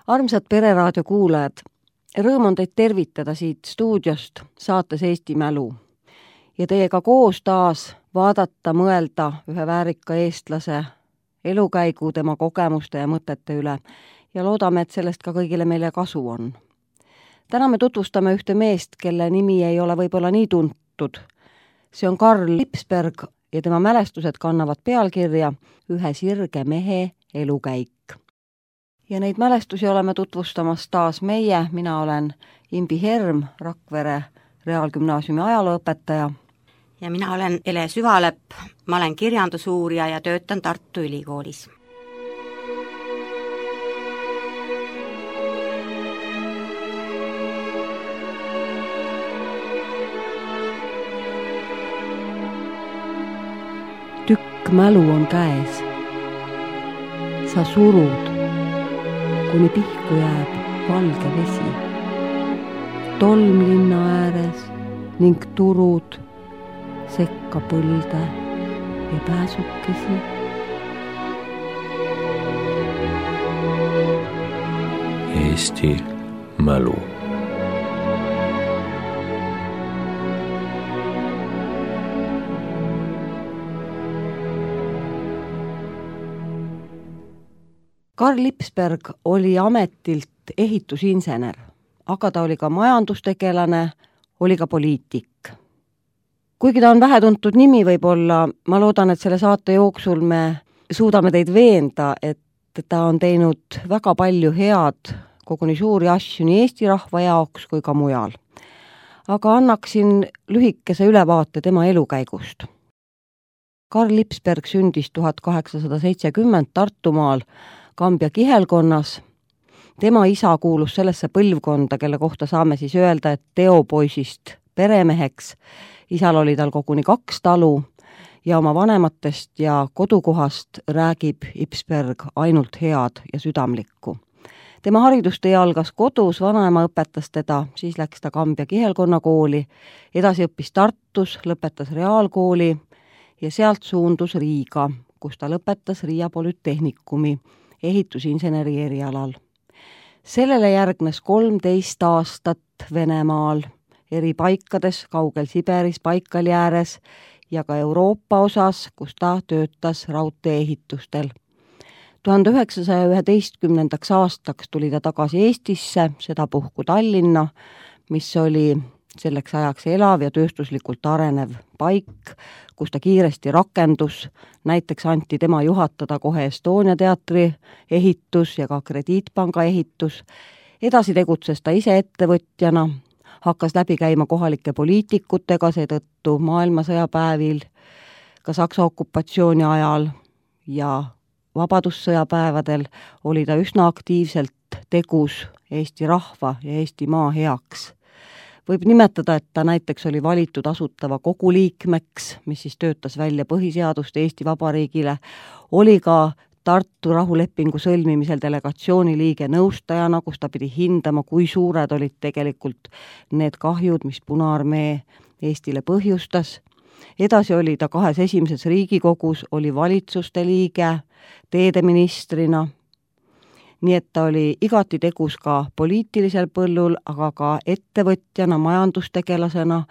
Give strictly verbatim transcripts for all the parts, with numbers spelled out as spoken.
Armsad Pereraadio kuulajad, rõõm on teid tervitada siit stuudiost saates Eesti Mälu ja teiega koos taas vaadata, mõelda ühe väärika eestlase elukäigu, tema kogemuste ja mõtete üle ja loodame, et sellest ka kõigile meile kasu on. Täna me tutvustame ühte meest, kelle nimi ei ole võib-olla nii tuntud. See on Karl Lipsberg ja tema mälestused kannavad pealkirja Ühe sirge mehe elukäik. Ja neid mälestusi oleme tutvustamas taas meie, mina olen Imbi Herm, Rakvere Reaalgümnaasiumi ajalooõpetaja. Ja mina olen Ele Süvalepp, ma olen kirjandusuurija ja töötan Tartu Ülikoolis. Tükk mälu on käes. Sa surud, kuni pihku jääb valge vesi. Tolm linna ääres ning turud, sekka põlde ja pääsukesi. Eesti mälu. Karl Lipsberg oli ametilt ehitusinsener, aga ta oli ka majandustegelane, oli ka poliitik. Kuigi ta on vähetuntud nimi võib-olla, ma loodan, et selle saate jooksul me suudame teid veenda, et ta on teinud väga palju head, koguni suuri asju nii Eesti rahva jaoks kui ka mujal. Aga annaksin lühikese ülevaate tema elukäigust. Karl Lipsberg sündis tuhat kaheksasada seitsekümmend Tartumaal Kambja kihelkonnas. Tema isa kuulus sellesse põlvkonda, kelle kohta saame siis öelda, et teopoisist peremeheks. Isal oli tal koguni kaks talu ja oma vanematest ja kodukohast räägib Lipsberg ainult head ja südamlikku. Tema haridustee algas kodus, vanaema õpetas teda, siis läks ta Kambja kihelkonna kooli, edasi õppis Tartus, lõpetas reaalkooli ja sealt suundus Riiga, kus ta lõpetas Riia Polütehnikumi ehitusinseneri erialal. Sellele järgnes kolmteist aastat Venemaal, eri paikades, kaugel Siberis, Baikali ääres ja ka Euroopa osas, kus ta töötas raudtee-ehitustel. tuhande üheksasaja üheteistkümnendaks aastaks tuli ta tagasi Eestisse, seda puhku Tallinna, mis oli selleks ajaks elav ja tööstuslikult arenev paik, kus ta kiiresti rakendus, näiteks anti tema juhatada kohe Estonia teatri ehitus ja ka Krediitpanga ehitus. Edasi tegutses ta ise ettevõtjana, hakkas läbi käima kohalike poliitikutega, seetõttu maailmasõjapäevil, ka Saksa okupatsiooni ajal ja vabadussõjapäevadel oli ta üsna aktiivselt tegus Eesti rahva ja Eesti maa heaks. Võib nimetada, et ta näiteks oli valitud asutava kogu liikmeks, mis siis töötas välja põhiseadust Eesti Vabariigile, oli ka Tartu rahulepingu sõlmimisel delegatsiooni liige nõustajana, kus ta pidi hindama, kui suured olid tegelikult need kahjud, mis Punaarmee Eestile põhjustas. Edasi oli ta kahes esimeses Riigikogus, oli valitsuste liige, teedeministrina. Nii et ta oli igati tegus ka poliitilisel põllul, aga ka ettevõtjana, majandustegelasena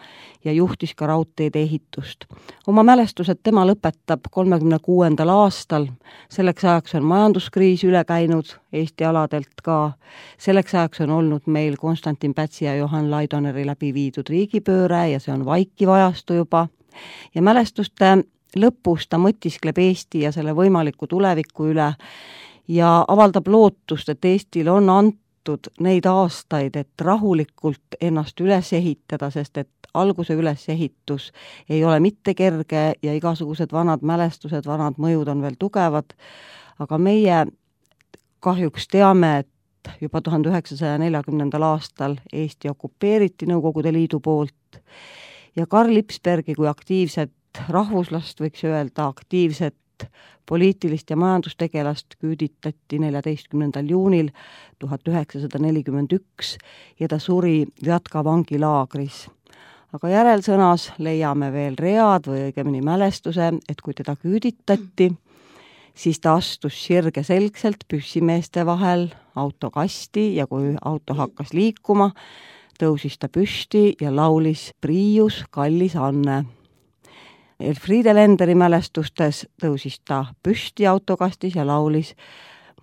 ja juhtis ka raudteede ehitust. Oma mälestused tema lõpetab kolmekümne kuuendal aastal. Selleks ajaks on majanduskriis üle käinud Eesti aladelt ka. Selleks ajaks on olnud meil Konstantin Pätsi ja Johan Laidoneri läbi viidud riigipööre ja see on vaikiv ajastu juba. Ja mälestuste lõpus ta mõtiskleb Eesti ja selle võimaliku tuleviku üle ja avaldab lootust, et Eestil on antud neid aastaid, et rahulikult ennast üles ehitada, sest et alguse ülesehitus ei ole mitte kerge ja igasugused vanad mälestused, vanad mõjud on veel tugevad, aga meie kahjuks teame, et juba tuhande üheksasaja neljakümnendal aastal Eesti okupeeriti Nõukogude Liidu poolt ja Karl Lipsbergi kui aktiivset rahvuslast, võiks öelda aktiivset poliitilist ja majandustegelast küüditati neljateistkümnendal juunil tuhat üheksasada nelikümmend üks ja ta suri Vjatka vangilaagris. Aga järelsõnas leiame veel read või õigemini mälestuse, et kui teda küüditati, siis ta astus sirgeselgselt püssimeeste vahel autokasti ja kui auto hakkas liikuma, tõusis ta püsti ja laulis Priius, kallis Anne. Elfriede Lenderi mälestustes tõusis ta püsti autokastis ja laulis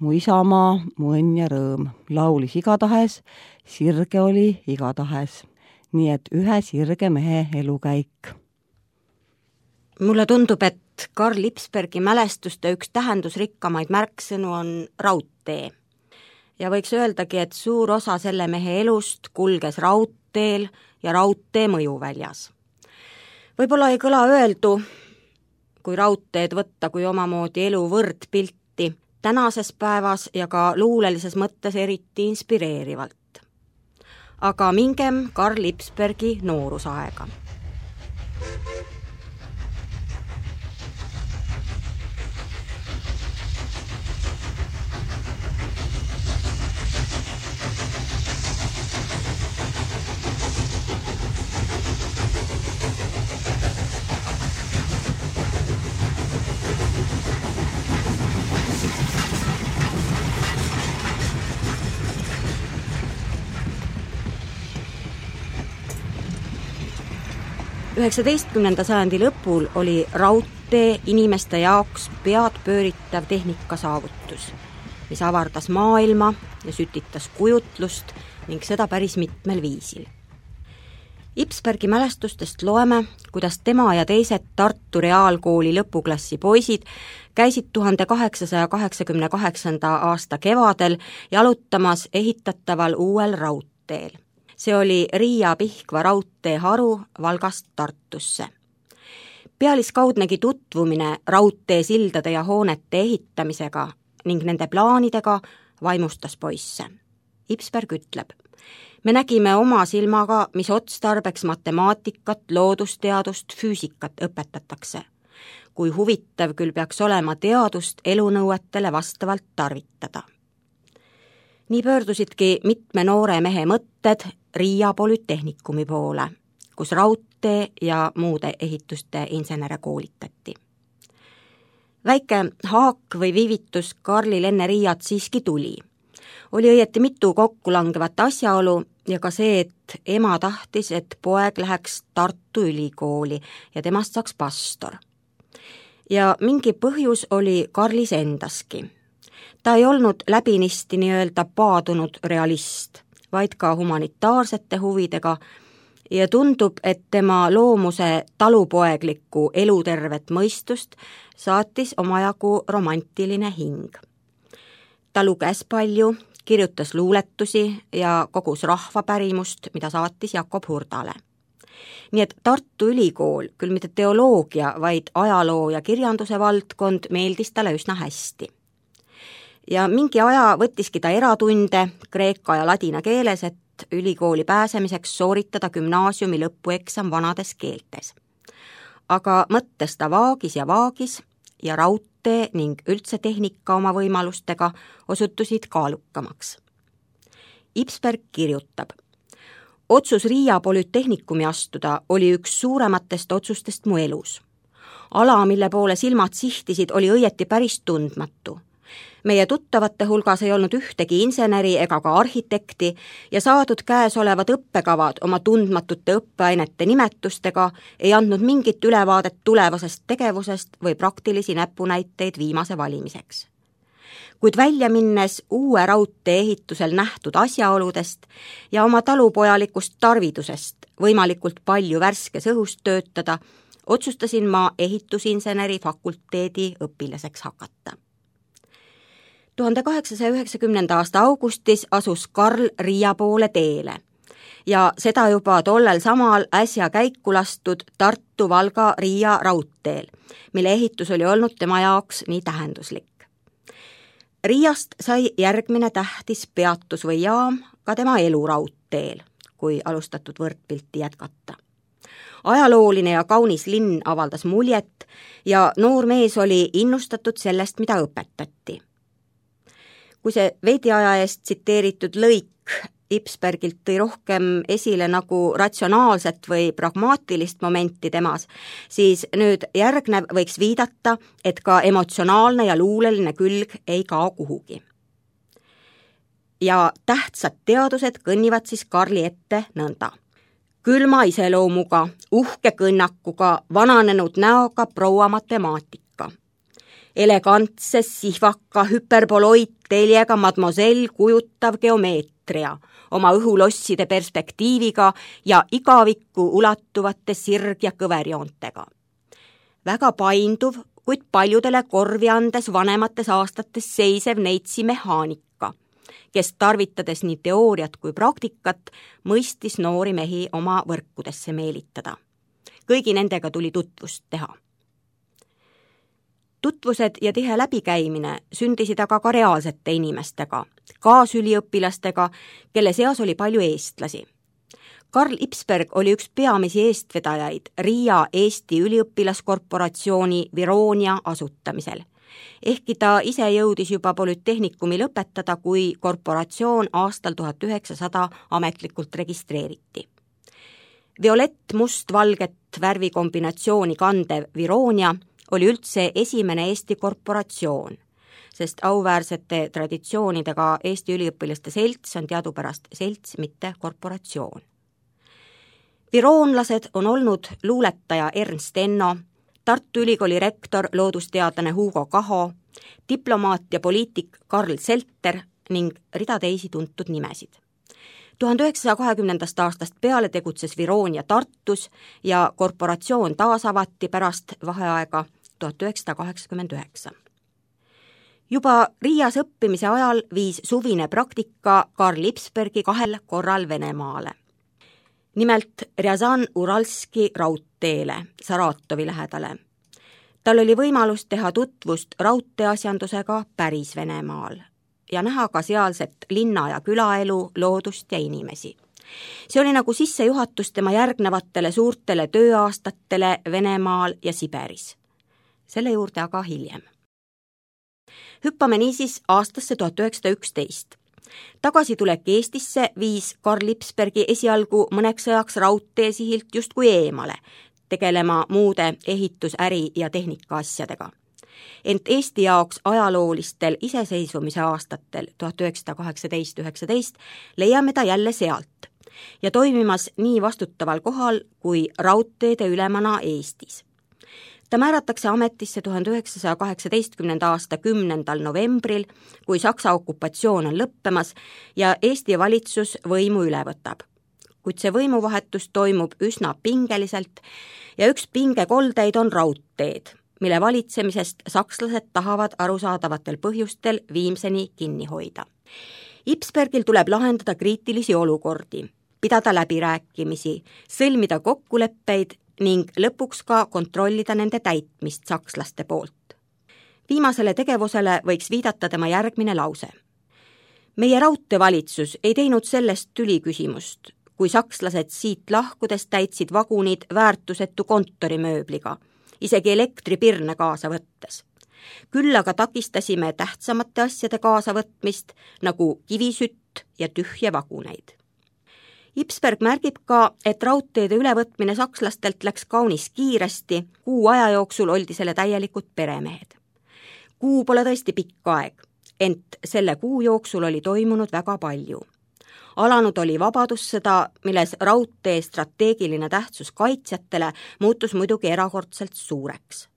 Mu isamaa, mu õnn ja rõõm. Laulis igatahes, sirge oli igatahes. Nii et ühe sirge mehe elukäik. Mulle tundub, et Karl Lipsbergi mälestuste üks tähendusrikkamaid märksõnu on raudtee. Ja võiks öeldagi, et suur osa selle mehe elust kulges raudteel ja raudtee mõjuväljas. Võib-olla ei kõla öeldu, kui raudteed võtta kui omamoodi elu võrdpilti, tänases päevas ja ka luulelises mõttes eriti inspireerivalt. Aga mingem Karl Lipsbergi noorusaega. üheksateistkümnenda sajandi lõpul oli raudtee inimeste jaoks pead pööritav tehnika saavutus, mis avardas maailma ja sütitas kujutlust ning seda päris mitmel viisil. Lipsbergi mälestustest loeme, kuidas tema ja teised Tartu Reaalkooli lõpuklassi poisid käisid tuhande kaheksasaja kaheksakümne kaheksanda aasta kevadel jalutamas ehitataval uuel raudteel. See oli Riia-Pihkva raudteeharu Valgast Tartusse. Pealiskaudnegi tutvumine raudteesildade ja hoonete ehitamisega ning nende plaanidega vaimustas poisse. Lipsberg ütleb, me nägime oma silmaga, mis otstarbeks matemaatikat, loodusteadust, füüsikat õpetatakse. Kui huvitav küll peaks olema teadust elunõuetele vastavalt tarvitada. Nii pöördusidki mitme noore mehe mõtted Riia Polütehnikumi poole, kus raudtee ja muude ehituste insenere koolitati. Väike haak või viivitus Karlil enne Riiat siiski tuli. Oli õieti mitu kokkulangevat asjaolu ja ka see, et ema tahtis, et poeg läheks Tartu Ülikooli ja temast saaks pastor. Ja mingi põhjus oli Karlis endaski. Ta ei olnud läbinisti nii-öelda paadunud realist, vaid ka humanitaarsete huvidega ja tundub, et tema loomuse talupoeglikku elutervet mõistust saatis omajagu romantiline hing. Ta luges palju, kirjutas luuletusi ja kogus rahvapärimust, mida saatis Jakob Hurdale. Nii et Tartu Ülikool, küll mitte teoloogia, vaid ajaloo ja kirjanduse valdkond meeldis talle üsna hästi. Ja mingi aja võttiski ta eratunde kreeka ja ladina keeles, et ülikooli pääsemiseks sooritada gümnaasiumi lõpueksam vanades keeltes. Aga mõttes ta vaagis ja vaagis ja raudtee ning üldse tehnika oma võimalustega osutusid kaalukamaks. Lipsberg kirjutab, otsus Riia Polütehnikumi astuda oli üks suurematest otsustest mu elus. Ala, mille poole silmad sihtisid, oli õieti päris tundmatu. Meie tuttavate hulgas ei olnud ühtegi inseneri ega ka arhitekti ja saadud käesolevad õppekavad oma tundmatute õppeainete nimetustega ei andnud mingit ülevaadet tulevasest tegevusest või praktilisi näpunäiteid viimase valimiseks. Kuid välja minnes uue raudtee ehitusel nähtud asjaoludest ja oma talupojalikust tarvidusest võimalikult palju värskes õhus töötada, otsustasin ma ehitusinseneri fakulteedi õpilaseks hakata. tuhande kaheksasaja üheksakümnenda aasta augustis asus Karl Riia poole teele ja seda juba tollel samal äsja käiku lastud Tartu-Valga-Riia raudteel, mille ehitus oli olnud tema jaoks nii tähenduslik. Riiast sai järgmine tähtis peatus või jaam ka tema eluraudteel, kui alustatud võrdpilti jätkata. Ajalooline ja kaunis linn avaldas muljet ja noor mees oli innustatud sellest, mida õpetati. Kui see veidi aja eest tsiteeritud lõik Ipsbergilt tõi rohkem esile nagu ratsionaalset või pragmaatilist momenti temas, siis nüüd järgnev võiks viidata, et ka emotsionaalne ja luuleline külg ei kao kuhugi. Ja tähtsad teadused kõnnivad siis Karli ette nõnda. Külma iseloomuga, uhke kõnnakuga, vananenud näoga proua matemaatika. Elegantse, sihvaka, hüperboloidteljega mademoiselle kujutav geomeetria, oma õhulosside perspektiiviga ja igavikku ulatuvate sirg- ja kõverjoontega. Väga painduv, kuid paljudele korvi andes vanemates aastates seisev neitsi mehaanika, kes tarvitades nii teooriat kui praktikat, mõistis noori mehi oma võrkudesse meelitada. Kõigi nendega tuli tutvust teha. Tutvused ja tihe läbikäimine sündisid aga ka reaalsete inimestega, kaasüliõpilastega, kelle seas oli palju eestlasi. Karl Ipsberg oli üks peamisi eestvedajaid Riia Eesti üliõpilaskorporatsiooni Vironia asutamisel. Ehkki ta ise jõudis juba polütehnikumi lõpetada, kui korporatsioon aastal tuhat üheksasada ametlikult registreeriti. Violett must-valget värvikombinatsiooni kandev Vironia oli üldse esimene Eesti korporatsioon, sest auväärsete traditsioonidega Eesti üliõpilaste selts on teadupärast selts, mitte korporatsioon. Viroonlased on olnud luuletaja Ernst Enno, Tartu Ülikooli rektor, loodusteadlane Hugo Kaho, diplomaat ja poliitik Karl Zelter ning rida teisi tuntud nimesid. tuhande üheksasaja kahekümnendast aastast peale tegutses Vironia Tartus ja korporatsioon taasavati pärast vaheaega tuhat üheksasada kaheksakümmend üheksa. Juba Riias õppimise ajal viis suvine praktika Karl Ipsbergi kahel korral Venemaale. Nimelt Rjazan-Uralski raudteele Saratovi lähedale. Tal oli võimalus teha tutvust raudteeasjandusega päris Venemaal ja näha ka sealset linna- ja külaelu, loodust ja inimesi. See oli nagu sissejuhatus tema järgnevatele suurtele tööaastatele Venemaal ja Siberis. Selle juurde aga hiljem. Hüppame niisiis aastasse tuhat üheksasada üksteist. Tagasitulek Eestisse viis Karl Ipsbergi esialgu mõneks ajaks raudteesihilt justkui eemale, tegelema muude ehitus-, äri- ja tehnikaasjadega. Ent Eesti jaoks ajaloolistel iseseisvumise aastatel tuhat üheksasada kaheksateist üheksateist leiame ta jälle sealt ja toimimas nii vastutaval kohal kui raudteede ülemana Eestis. Ta määratakse ametisse tuhande üheksasaja kaheksateistkümnenda aasta kümnendal novembril, kui Saksa okupatsioon on lõppemas ja Eesti valitsus võimu üle võtab. Kuid see võimuvahetus toimub üsna pingeliselt ja üks pingekoldeid on raudteed, mille valitsemisest sakslased tahavad arusaadavatel põhjustel viimseni kinni hoida. Ipsbergil tuleb lahendada kriitilisi olukordi, pidada läbirääkimisi, sõlmida kokkuleppeid ning lõpuks ka kontrollida nende täitmist sakslaste poolt. Viimasele tegevusele võiks viidata tema järgmine lause. Meie raudteevalitsus ei teinud sellest tüliküsimust, kui sakslased siit lahkudes täitsid vagunid väärtusetu kontorimööbliga, isegi elektripirne kaasa võttes. Küll aga takistasime tähtsamate asjade kaasavõtmist, nagu kivisütt ja tühje vaguneid. Ipsberg märgib ka, et raudteede ülevõtmine sakslastelt läks kaunis kiiresti, kuu aja jooksul oldi selle täielikult peremehed. Kuu pole tõesti pikk aeg, ent selle kuu jooksul oli toimunud väga palju. Alanud oli vabadussõda, milles raudtee strateegiline tähtsus kaitsjatele muutus muidugi erakordselt suureks.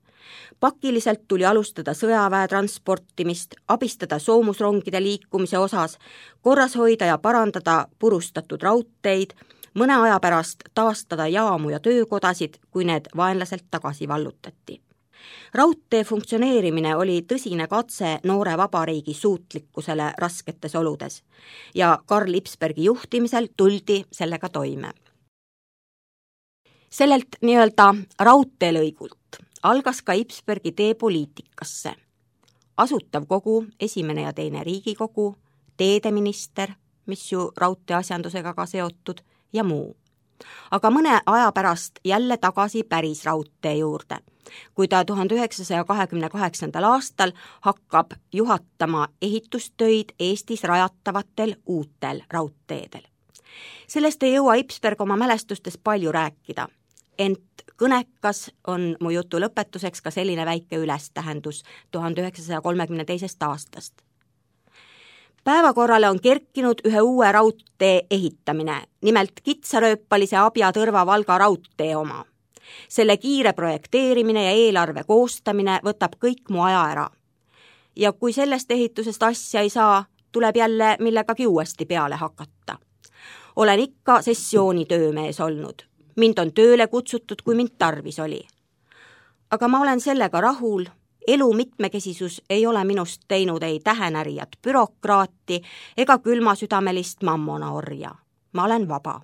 Pakiliselt tuli alustada sõjaväe transportimist, abistada soomusrongide liikumise osas, korras hoida ja parandada purustatud raudteid, mõne aja pärast taastada jaamu ja töökodasid, kui need vaenlaselt tagasi vallutati. Raudtee funktsioneerimine oli tõsine katse noore vabariigi suutlikkusele rasketes oludes ja Karl Ipsbergi juhtimisel tuldi sellega toime. Sellelt nii-öelda raudteelõigult algas ka Ipsbergi tee poliitikasse. Asutav kogu, esimene ja teine Riigikogu, teedeminister, mis ju raudteeasjandusega ka seotud, ja muu. aga mõne aja pärast jälle tagasi päris raudtee juurde, kui ta tuhande üheksasaja kahekümne kaheksandal aastal hakkab juhatama ehitustöid Eestis rajatavatel uutel raudteedel. Sellest ei jõua Ipsberg oma mälestustes palju rääkida, ent kõnekas on mu jutu lõpetuseks ka selline väike ülestähendus tuhande üheksasaja kolmekümne teisest aastast. Päevakorrale on kerkinud ühe uue raudtee ehitamine, nimelt kitsarööpalise Abja-Tõrva Valga raudtee oma. Selle kiire projekteerimine ja eelarve koostamine võtab kõik mu aja ära. Ja kui sellest ehitusest asja ei saa, tuleb jälle millegagi uuesti peale hakata. Olen ikka sessiooni töömees olnud. Mind on tööle kutsutud, kui mind tarvis oli. Aga ma olen sellega rahul. Elu mitmekesisus ei ole minust teinud ei tähenärijat bürokraati ega külmasüdamelist mammona orja. Ma olen vaba.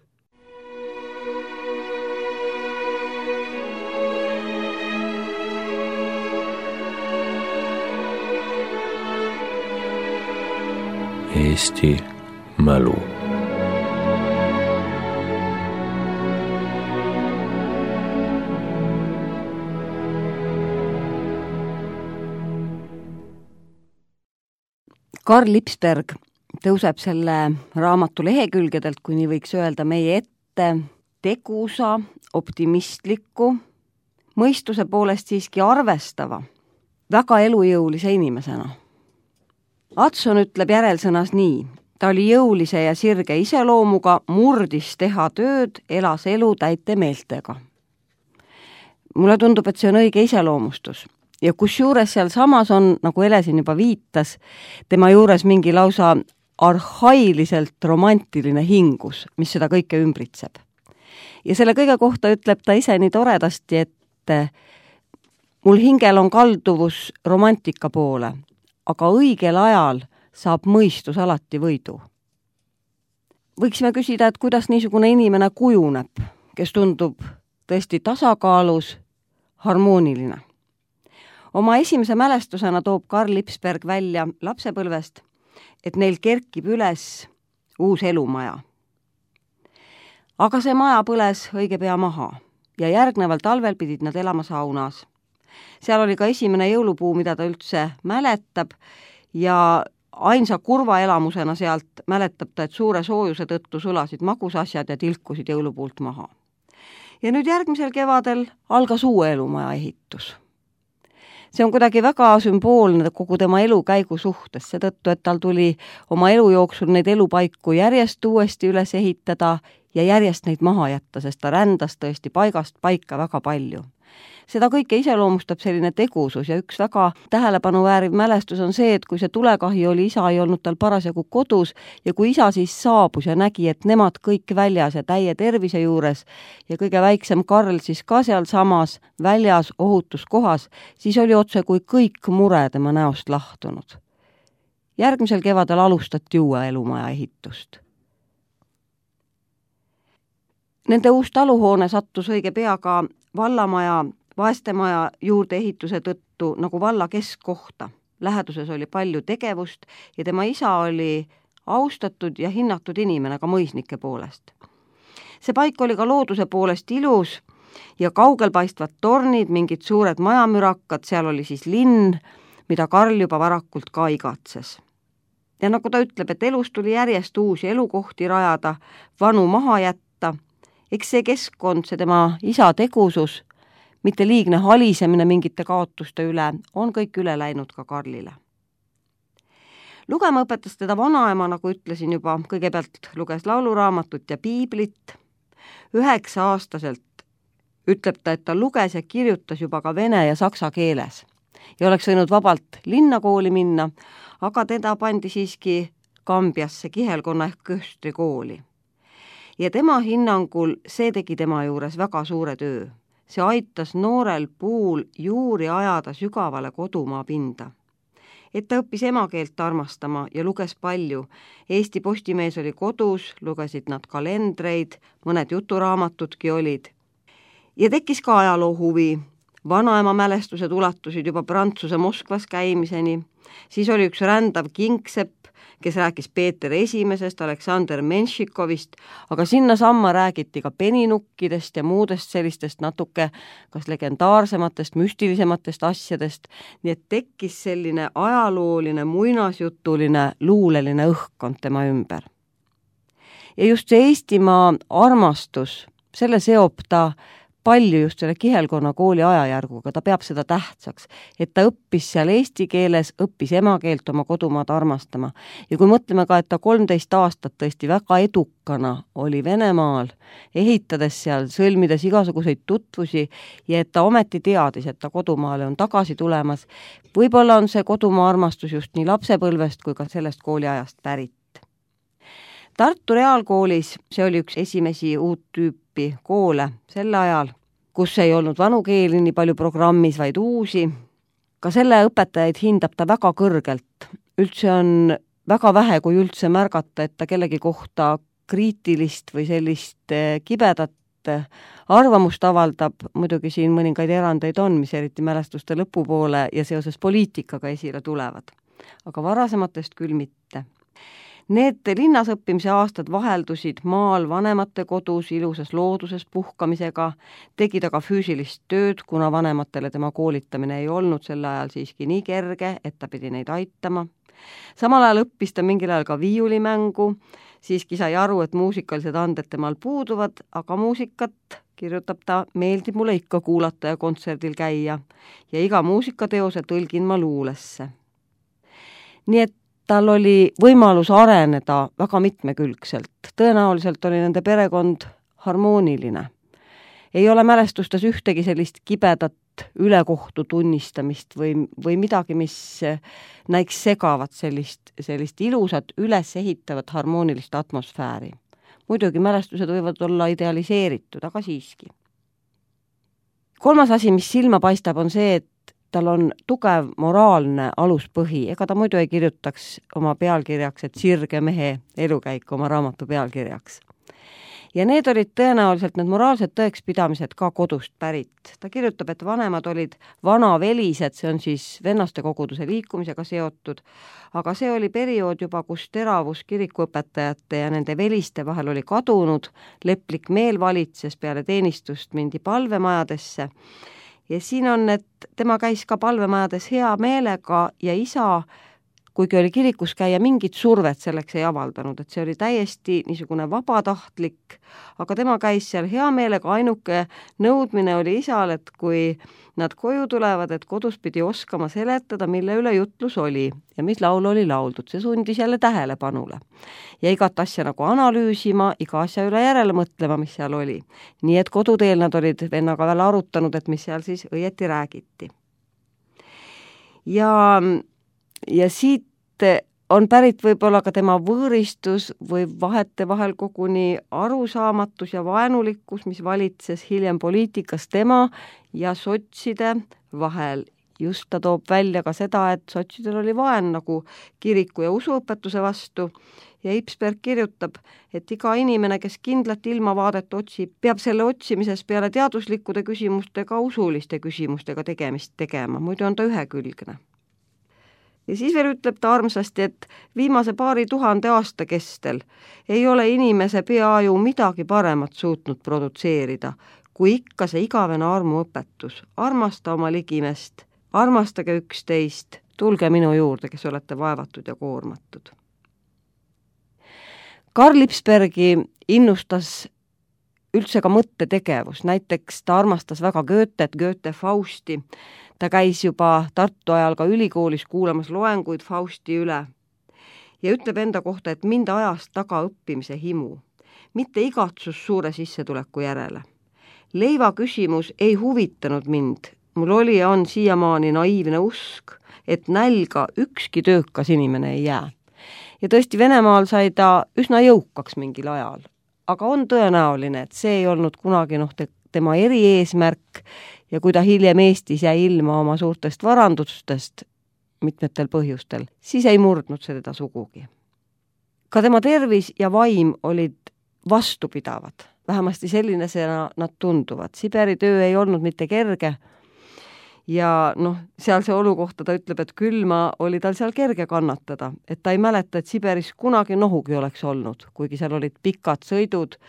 Eesti mälu. Karl Lipsberg tõuseb selle raamatu lehekülgedelt, kui nii võiks öelda, meie ette tegusa, optimistliku, mõistuse poolest siiski arvestava, väga elujõulise inimesena. Adson ütleb järelsõnas nii: ta oli jõulise ja sirge iseloomuga, murdis teha tööd, elas elu täite meeltega. Mulle tundub, et see on õige iseloomustus. Ja kusjuures seal samas on, nagu Elesin juba viitas, tema juures mingi lausa arhailiselt romantiline hingus, mis seda kõike ümbritseb. Ja selle kõige kohta ütleb ta ise nii toredasti, et mul hingel on kalduvus romantika poole, aga õigel ajal saab mõistus alati võidu. Võiksime küsida, et kuidas niisugune inimene kujuneb, kes tundub tõesti tasakaalus, harmooniline. Oma esimese mälestusena toob Karl Lipsberg välja lapsepõlvest, et neil kerkib üles uus elumaja. Aga see maja põles õige pea maha ja järgneval talvel pidid nad elama saunas. Seal oli ka esimene jõulupuu, mida ta üldse mäletab ja ainsa kurva elamusena sealt mäletab ta, et suure soojuse tõttu sulasid magusasjad ja tilkusid jõulupuult maha. Ja nüüd järgmisel kevadel algas uue elumaja ehitus. See on kuidagi väga sümboolne kogu tema elukäigu suhtes, seetõttu, et tal tuli oma elu jooksul neid elupaiku järjest uuesti üles ehitada ja järjest neid maha jätta, sest ta rändas tõesti paigast paika väga palju. Seda kõike iseloomustab selline tegusus ja üks väga tähelepanu vääriv mälestus on see, et kui see tulekahi oli, isa ei olnud tal parasjagu kodus ja kui isa siis saabus ja nägi, et nemad kõik väljas ja täie tervise juures ja kõige väiksem Karl siis ka seal samas väljas ohutus kohas, siis oli otse kui kõik mure tema näost lahtunud. Järgmisel kevadel alustati uue elumaja ehitust. Nende uus taluhoone sattus õige pea ka vallamaja vaestemaja juurde ehituse tõttu nagu valla keskkohta. Läheduses oli palju tegevust ja tema isa oli austatud ja hinnatud inimene ka mõisnike poolest. See paik oli ka looduse poolest ilus ja kaugel paistvad tornid, mingid suured majamürakad, seal oli siis linn, mida Karl juba varakult ka igatses. Ja nagu ta ütleb, et elus tuli järjest uusi elukohti rajada, vanu maha jätta, eks see keskkond, see tema isa tegusus, mitte liigne halisemine mingite kaotuste üle, on kõik üle läinud ka Karlile. Lugema õpetas teda vanaema, nagu ütlesin juba, kõigepealt luges lauluraamatut ja piiblit. Üheksa aastaselt ütleb ta, et ta luges ja kirjutas juba ka vene ja saksa keeles ja oleks võinud vabalt linnakooli minna, aga teda pandi siiski Kambjasse kihelkonna ehk köstrikooli. Ja tema hinnangul see tegi tema juures väga suure töö. See aitas noorel puul juuri ajada sügavale kodumaa pinda. Et ta õppis emakeelt armastama ja luges palju. Eesti Postimees oli kodus, lugesid nad kalendreid, mõned juturaamatuudki olid. Ja tekkis ka ajaloo huvi. vanaema mälestused ulatusid juba Prantsuse Moskvas käimiseni, siis oli üks rändav kingsepp, kes rääkis Peeter Esimesest, Aleksander Menšikovist, aga sinna samma räägiti ka peninukkidest ja muudest sellistest natuke kas legendaarsematest, müstilisematest asjadest, nii et tekkis selline ajalooline, muinasjutuline, luuleline õhkkond tema ümber. Ja just see Eestimaa armastus, selle seob ta palju just selle Kihelkonna kooli ajajärguga, ta peab seda tähtsaks, et ta õppis seal eesti keeles, õppis emakeelt oma kodumaad armastama. Ja kui mõtleme ka, et ta kolmteist aastat tõesti väga edukana oli Venemaal, ehitades seal, sõlmides igasuguseid tutvusi ja et ta ometi teadis, et ta kodumaale on tagasi tulemas, võib-olla on see kodumaa armastus just nii lapsepõlvest kui ka sellest kooliajast pärit. Tartu Reaalkoolis, see oli üks esimesi uut tüüpi koole sel ajal, kus ei olnud vanu keeli nii palju programmis, vaid uusi. Ka selle õpetajaid hindab ta väga kõrgelt. Üldse on väga vähe, kui üldse märgata, et ta kellegi kohta kriitilist või sellist kibedat arvamust avaldab. Muidugi siin mõningaid erandeid on, mis eriti mälestuste lõpupoole ja seoses poliitikaga esile tulevad. Aga varasematest küll mitte. Need linnas õppimise aastad vaheldusid maal vanemate kodus ilusas looduses puhkamisega, tegi ta ka füüsilist tööd, kuna vanematele tema koolitamine ei olnud sel ajal siiski nii kerge, et ta pidi neid aitama. Samal ajal õppis ta mingil ajal ka viiulimängu, siiski sai aru, et muusikalised anded temal puuduvad, aga muusikat, kirjutab ta, meeldib mulle ikka kuulata ja kontserdil käia ja iga muusikateose tõlgin ma luulesse. Nii et tal oli võimalus areneda väga mitmekülgselt. Tõenäoliselt oli nende perekond harmooniline. Ei ole mälestustes ühtegi sellist kibedat ülekohtu tunnistamist või, või midagi, mis näiks segavat sellist, sellist ilusat, üles ehitavat harmoonilist atmosfääri. Muidugi mälestused võivad olla idealiseeritud, aga siiski. Kolmas asi, mis silma paistab, on see, et tal on tugev moraalne aluspõhi, ega ta muidu ei kirjutaks oma pealkirjaks, et sirge mehe elukäik oma raamatu pealkirjaks. Ja need olid tõenäoliselt need moraalsed tõekspidamised ka kodust pärit. Ta kirjutab, et vanemad olid vanavelised, see on siis vennaste koguduse liikumisega seotud, aga see oli periood juba, kus teravus kirikuõpetajate ja nende veliste vahel oli kadunud, leplik meel valitses, peale teenistust mindi palvemajadesse. Ja siin on, et tema käis ka palvemajades hea meelega ja isa, kuigi oli kirikus käia, mingit survet selleks ei avaldanud, et see oli täiesti niisugune vabatahtlik, aga tema käis seal hea meelega, ainuke nõudmine oli isal, et kui nad koju tulevad, et kodus pidi oskama seletada, mille üle jutlus oli ja mis laul oli lauldud, see sundis jälle tähelepanule. Ja igat asja nagu analüüsima, iga asja üle järele mõtlema, mis seal oli. Nii et koduteel nad olid vennaga veel arutanud, et mis seal siis õieti räägiti. Ja Ja siit on pärit võib-olla ka tema võõristus või vahete vahel koguni arusaamatus ja vaenulikkus, mis valitses hiljem poliitikas tema ja sotside vahel. Just ta toob välja ka seda, et sotsidel oli vaen nagu kiriku ja usuõpetuse vastu ja Ipsberg kirjutab, et iga inimene, kes kindlat ilmavaadet otsib, peab selle otsimises peale teaduslikkude küsimustega usuliste küsimustega tegemist tegema, muidu on ta ühekülgne. Ja siis veel ütleb ta armsasti, et viimase paari tuhande aasta kestel ei ole inimese peaaju midagi paremat suutnud produtseerida, kui ikka see igavene armuõpetus. Armasta oma ligimest, armastage üksteist, tulge minu juurde, kes olete vaevatud ja koormatud. Karl Lipsbergi innustas üldse ka mõttetegevus, näiteks ta armastas väga Goethet, Goethe Fausti. Ta käis juba Tartu ajal ka ülikoolis kuulamas loenguid Fausti üle ja ütleb enda kohta, et mind ajas taga õppimise himu, mitte igatsus suure sissetuleku järele. Leiva küsimus ei huvitanud mind, mul oli ja on siiamaani naiivne usk, et nälga ükski töökas inimene ei jää. Ja tõesti Venemaal sai ta üsna jõukaks mingil ajal, aga on tõenäoline, et see ei olnud kunagi noh, tema erieesmärk ja kui ta hiljem Eestis jäi ilma oma suurtest varandustest mitmetel põhjustel, siis ei murdnud see teda sugugi. Ka tema tervis ja vaim olid vastupidavad, vähemasti selline see nad tunduvad. Siberi töö ei olnud mitte kerge ja noh, sealse olu kohta ta ütleb, et külma oli tal seal kerge kannatada, et ta ei mäleta, et Siberis kunagi nohugi oleks olnud, kuigi seal olid pikad sõidud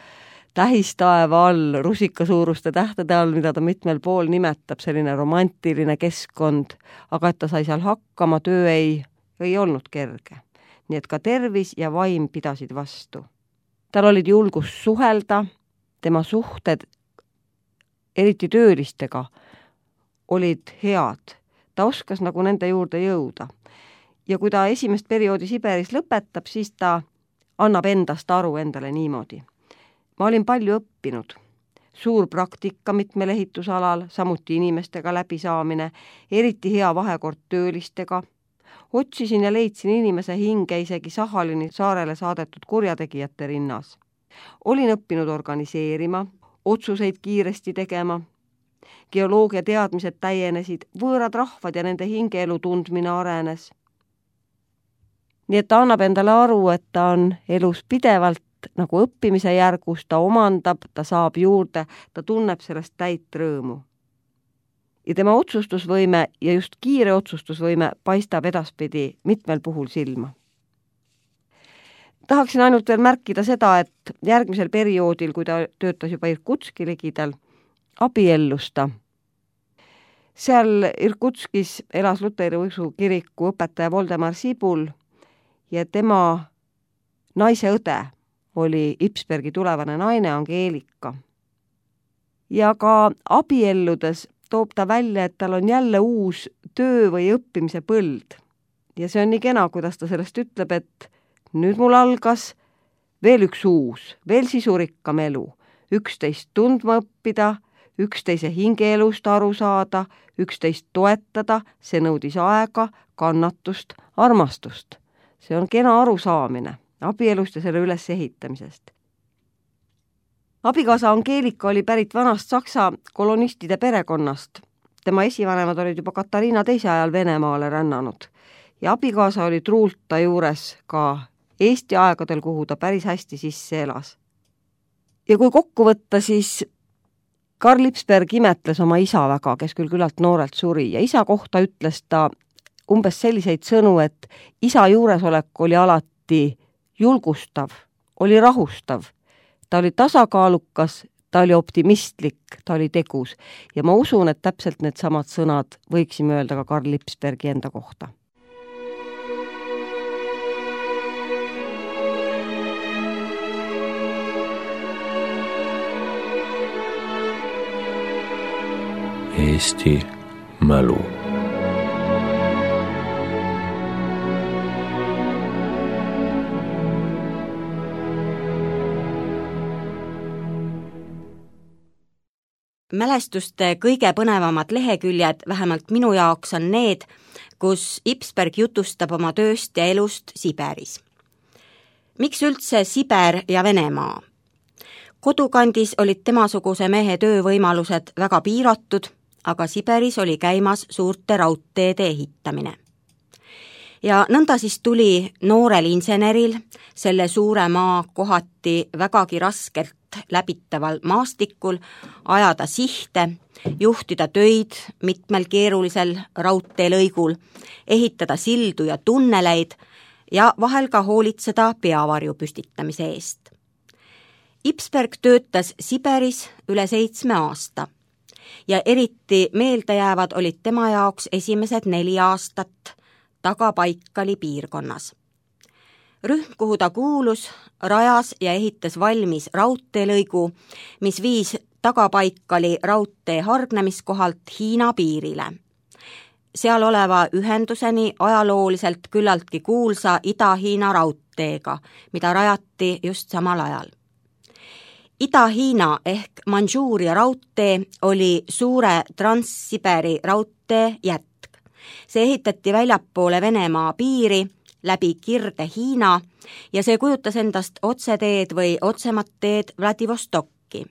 tähistaeva all, rusikasuuruste tähtede all, mida ta mitmel pool nimetab, selline romantiline keskkond, aga et ta sai seal hakkama, töö ei, ei olnud kerge. Nii et ka tervis ja vaim pidasid vastu. Tal olid julgus suhelda, tema suhted, eriti töölistega, olid head. Ta oskas nagu nende juurde jõuda. Ja kui ta esimest perioodi Siberis lõpetab, siis ta annab endast aru endale niimoodi. Ma olin palju õppinud. Suur praktika mitmel ehitusalal, samuti inimestega läbisaamine, eriti hea vahekord töölistega. Otsisin ja leidsin inimese hinge isegi Sahalini saarele saadetud kurjategijate rinnas. Olin õppinud organiseerima, otsuseid kiiresti tegema. Geoloogia teadmised täienesid, võõrad rahvad ja nende hingeelu tundmine arenes. Nii et ta annab endale aru, et ta on elus pidevalt nagu õppimise järgus, ta omandab, ta saab juurde, ta tunneb sellest täit rõõmu. Ja tema otsustusvõime ja just kiire otsustusvõime paistab edaspidi mitmel puhul silma. Tahaksin ainult veel märkida seda, et järgmisel perioodil, kui ta töötas juba Irkutski ligidal, abiellus ta. Seal Irkutskis elas Luteri usu kiriku õpetaja Voldemar Sibul ja tema naise õde oli Ipsbergi tulevane naine Angeelika. Ja ka abielludes toob ta välja, et tal on jälle uus töö või õppimise põld. Ja see on nii kena, kuidas ta sellest ütleb, et nüüd mul algas veel üks uus, veel sisurikkam elu, üksteist tundma õppida, üksteise hingeelust aru saada, üksteist toetada, see nõudis aega, kannatust, armastust. See on kena arusaamine abielust ja selle üles ehitamisest. Abikaasa Angeelika oli pärit vanast Saksa kolonistide perekonnast. Tema esivanemad olid juba Katariina teise ajal Venemaale rännanud ja abikaasa oli truult ta juures ka Eesti aegadel, kuhu ta päris hästi sisse elas. Ja kui kokku võtta, siis Karl Lipsberg imetles oma isa väga, kes küll küllalt noorelt suri ja isa kohta ütles ta umbes selliseid sõnu, et isa juuresolek oli alati julgustav, oli rahustav, ta oli tasakaalukas, ta oli optimistlik, ta oli tegus ja ma usun, et täpselt need samad sõnad võiksime öelda ka Karl Lipsbergi enda kohta. Eesti mälu. Mälestuste kõige põnevamad leheküljed, vähemalt minu jaoks, on need, kus Ipsberg jutustab oma tööst ja elust Siberis. Miks üldse Siber ja Venemaa? Kodukandis olid temasuguse mehe töövõimalused väga piiratud, aga Siberis oli käimas suurte raudteede ehitamine. Ja nõnda siis tuli noorel inseneril selle suure maa kohati vägagi raskelt läbitaval maastikul ajada sihte, juhtida töid mitmel keerulisel raudteelõigul, ehitada sildu ja tunneleid ja vahel ka hoolitseda peavarju püstitamise eest. Ipsberg töötas Siberis üle seitsme aasta ja eriti meeldejäävad olid tema jaoks esimesed neli aastat Tagapaikali piirkonnas. Rühm, kuhu ta kuulus, rajas ja ehitas valmis raudteelõigu, mis viis Tagapaikali raudtee hargnemiskohalt Hiina piirile. Seal oleva ühenduseni ajalooliselt küllaltki kuulsa Ida-Hiina raudteega, mida rajati just samal ajal. Ida-Hiina ehk Mandžuuria raudtee oli suure Trans-Siberi raudtee jätk. See ehitati väljapoole Venemaa piiri läbi Kirde-Hiina ja see kujutas endast otseteed või otsemat teed Vladivostokki.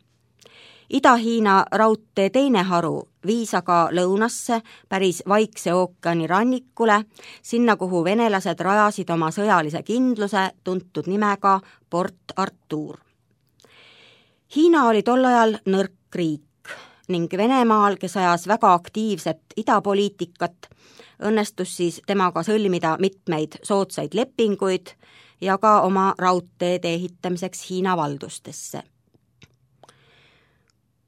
Ida-Hiina raudtee teine haru viis aga lõunasse päris Vaikse ookeani rannikule, sinna, kuhu venelased rajasid oma sõjalise kindluse tuntud nimega Port Artur. Hiina oli tol ajal nõrk riik. ning Venemaal, kes ajas väga aktiivset idapoliitikat, õnnestus siis temaga sõlmida mitmeid soodsaid lepinguid ja ka oma raudteede ehitamiseks Hiina valdustesse.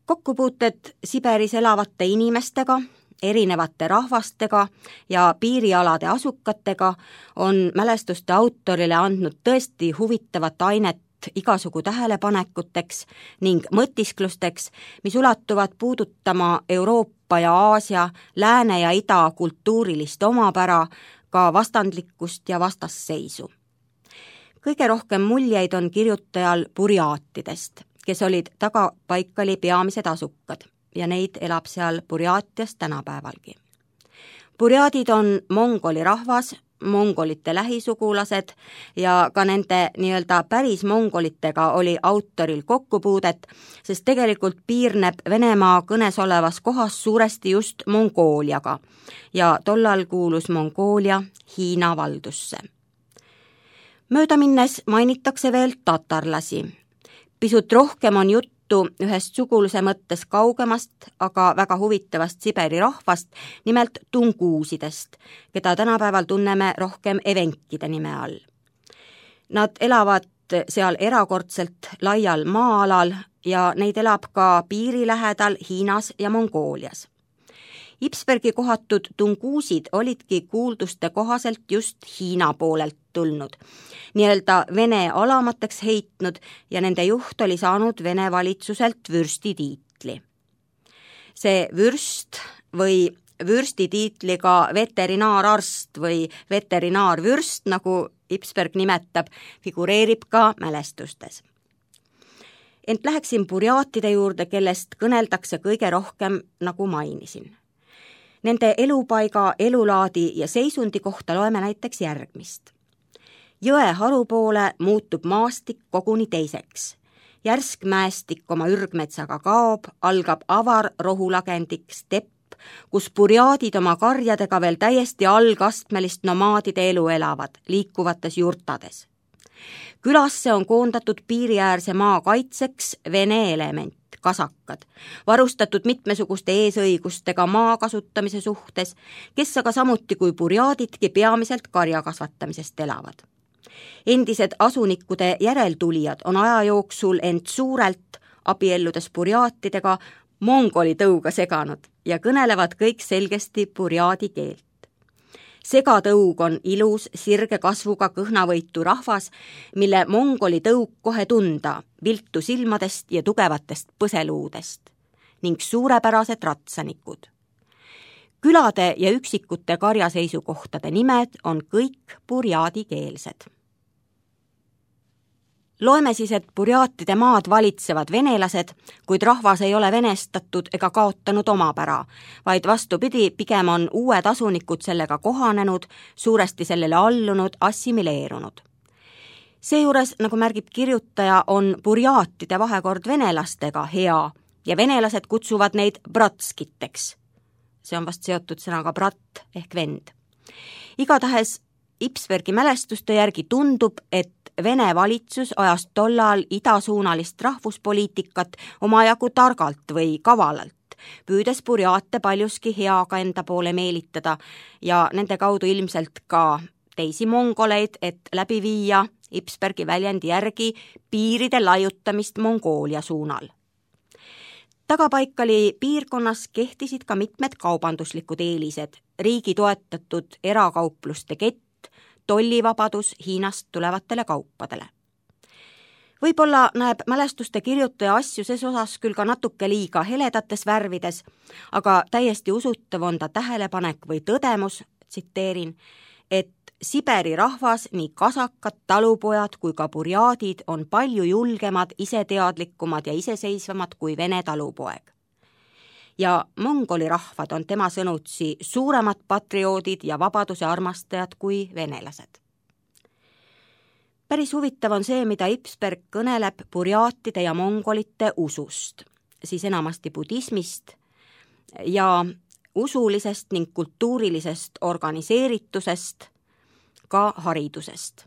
Kokkupuuted Siberis elavate inimestega, erinevate rahvastega ja piirialade asukatega on mälestuste autorile andnud tõesti huvitavat ainet igasugu tähelepanekuteks ning mõtisklusteks, mis ulatuvad puudutama Euroopa ja Aasia, lääne ja ida kultuurilist omapära, ka vastandlikkust ja vastasseisu. Kõige rohkem muljeid on kirjutajal burjaatidest, kes olid Tagabaikali peamised asukad ja neid elab seal Burjaatias tänapäevalgi. Burjaadid on mongoli rahvas, mongolite lähisugulased ja ka nende nii-öelda päris mongolitega oli autoril kokkupuudet, sest tegelikult piirneb Venemaa kõnes olevas kohas suuresti just Mongooliaga ja tollal kuulus Mongoolia Hiina valdusse. Mööda minnes mainitakse veel tatarlasi. Pisut rohkem on juttu ühest suguluse mõttes kaugemast, aga väga huvitavast Siberi rahvast, nimelt tunguusidest, keda tänapäeval tunneme rohkem evenkide nime all. Nad elavad seal erakordselt laial maa-alal ja neid elab ka piiri lähedal Hiinas ja Mongoolias. Ipsbergi kohatud tunguusid olidki kuulduste kohaselt just Hiina poolelt tulnud, nii-öelda Vene alamateks heitnud ja nende juht oli saanud Vene valitsuselt vürstitiitli. See vürst või vürstitiitliga veterinaararst või veterinaarvürst, nagu Ipsberg nimetab, figureerib ka mälestustes. Ent läheksin burjaatide juurde, kellest kõneldakse kõige rohkem, nagu mainisin. Nende elupaiga, elulaadi ja seisundi kohta loeme näiteks järgmist. Jõe harupoole muutub maastik koguni teiseks. Järsk mäestik oma ürgmetsaga kaob, algab avar rohulagendik stepp, kus burjaadid oma karjadega veel täiesti algastmelist nomaadide elu elavad, liikuvates jurtades. Külasse on koondatud piiriäärse maa kaitseks Vene element, kasakad, varustatud mitmesuguste eesõigustega maa kasutamise suhtes, kes aga samuti kui burjaadidki peamiselt karja kasvatamisest elavad. Endised asunikkude järeltulijad on aja jooksul end suurelt abielludes burjaatidega mongoli tõuga seganud ja kõnelevad kõik selgesti burjaadi keelt. Segatõug on ilus, sirge kasvuga kõhnavõitu rahvas, mille mongoli tõug kohe tunda viltu silmadest ja tugevatest põseluudest ning suurepärased ratsanikud. Külade ja üksikute karjaseisukohtade nimed on kõik burjaadikeelsed. Loeme siis, et burjaatide maad valitsevad venelased, kuid rahvas ei ole venestatud ega kaotanud omapära, vaid vastupidi, pigem on uued asunikud sellega kohanenud, suuresti sellele allunud, assimileerunud. Seejuures, nagu märgib kirjutaja, on burjaatide vahekord venelastega hea ja venelased kutsuvad neid bratskiteks. See on vast seotud sõnaga brat ehk vend. Igatahes Ipsbergi mälestuste järgi tundub, et Vene valitsus ajas tollal idasuunalist rahvuspoliitikat omajagu targalt või kavalalt, püüdes burjaate paljuski heaga enda poole meelitada ja nende kaudu ilmselt ka teisi mongoleid, et läbi viia Ipsbergi väljendi järgi piiride laiutamist Mongoolia suunal. Tagabaikali piirkonnas kehtisid ka mitmed kaubanduslikud eelised, riigi toetatud erakaupluste kett, tollivabadus Hiinast tulevatele kaupadele. Võib-olla näeb mälestuste kirjutaja asju ses osas küll ka natuke liiga heledates värvides, aga täiesti usutav on ta tähelepanek või tõdemus, tsiteerin, et Siberi rahvas, nii kasakad, talupojad kui ka burjaadid on palju julgemad, iseteadlikumad ja iseseisvamad kui Vene talupoeg. Ja mongoli rahvad on tema sõnutsi suuremad patrioodid ja vabaduse armastajad kui venelased. Päris huvitav on see, mida Ipsberg kõneleb burjaatide ja mongolite usust, siis enamasti budismist ja usulisest ning kultuurilisest organiseeritusest, ka haridusest.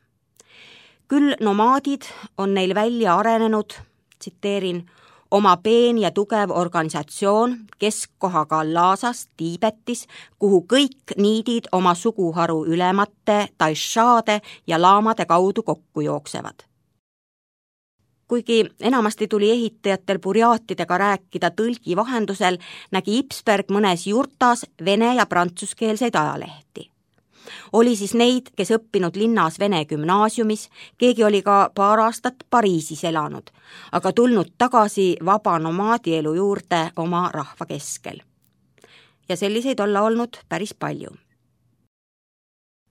Küll nomaadid on neil välja arenenud, tsiteerin, oma peen ja tugev organisatsioon keskkohaga Lhasas, Tiibetis, kuhu kõik niidid oma suguharu ülemate, taishaade ja laamade kaudu kokku jooksevad. Kuigi enamasti tuli ehitajatel burjaatidega rääkida tõlgi vahendusel, nägi Ipsberg mõnes jurtas vene ja prantsuskeelseid ajalehti. Oli siis neid, kes õppinud linnas vene gümnaasiumis, keegi oli ka paar aastat Pariisis elanud, aga tulnud tagasi vaba nomaadielu juurde oma rahva keskel. Ja selliseid olla olnud päris palju.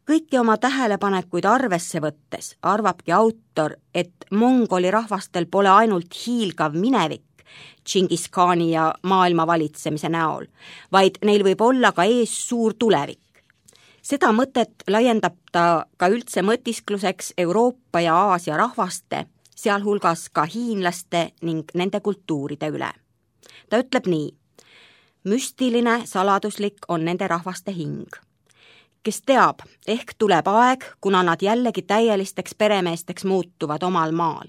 Kõiki oma tähelepanekuid arvesse võttes arvabki autor, et mongoli rahvastel pole ainult hiilgav minevik Džingis Khani ja maailma valitsemise näol, vaid neil võib olla ka ees suur tulevik. Seda mõtet laiendab ta ka üldse mõtiskluseks Euroopa ja Aasia rahvaste, sealhulgas ka hiinlaste ning nende kultuuride üle. Ta ütleb nii: müstiline, saladuslik on nende rahvaste hing. Kes teab, ehk tuleb aeg, kuna nad jällegi täielisteks peremeesteks muutuvad omal maal.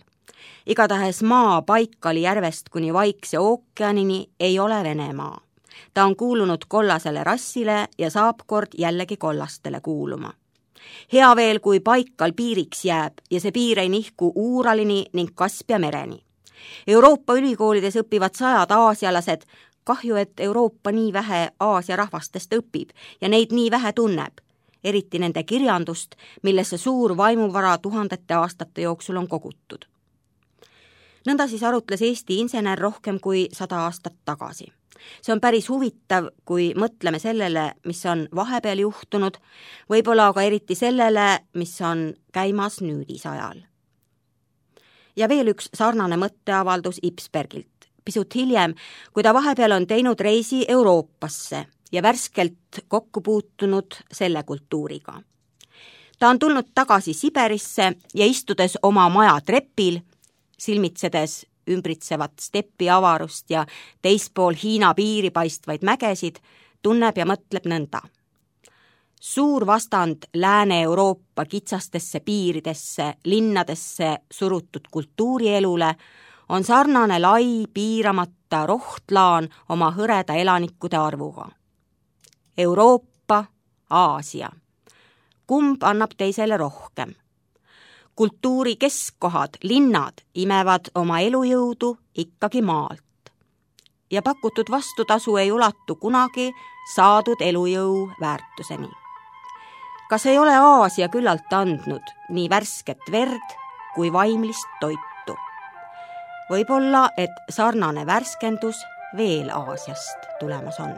Igatahes maa Baikali järvest kuni Vaikse ookeanini ei ole Venemaa. Ta on kuulunud kollasele rassile ja saab kord jällegi kollastele kuuluma. Hea veel, kui Baikal piiriks jääb ja see piir ei nihku Uuralini ning Kaspia mereni. Euroopa ülikoolides õpivad sajad aasialased, kahju, et Euroopa nii vähe Aasia rahvastest õpib ja neid nii vähe tunneb, eriti nende kirjandust, millesse suur vaimuvara tuhandete aastate jooksul on kogutud. Nõnda siis arutles Eesti insener rohkem kui sada aastat tagasi. See on päris huvitav, kui mõtleme sellele, mis on vahepeal juhtunud, võib-olla aga eriti sellele, mis on käimas nüüdisajal. Ja veel üks sarnane mõtteavaldus Ipsbergilt. Pisut hiljem, kui ta vahepeal on teinud reisi Euroopasse ja värskelt kokku puutunud selle kultuuriga. Ta on tulnud tagasi Siberisse ja istudes oma maja trepil, silmitsedes ümbritsevat steppi avarust ja teispool Hiina piiri paistvaid mägesid, tunneb ja mõtleb nõnda. Suur vastand Lääne-Euroopa kitsastesse piiridesse, linnadesse surutud kultuurielule on sarnane lai, piiramata rohtlaan oma hõreda elanikkude arvuga. Euroopa, Aasia. Kumb annab teisele rohkem? Kultuuri keskkohad, linnad imevad oma elujõudu ikkagi maalt. Ja pakutud vastutasu ei ulatu kunagi saadud elujõu väärtuseni. Kas ei ole Aasia küllalt andnud nii värsket verd kui vaimlist toitu? Võib-olla, et sarnane värskendus veel Aasiast tulemas on.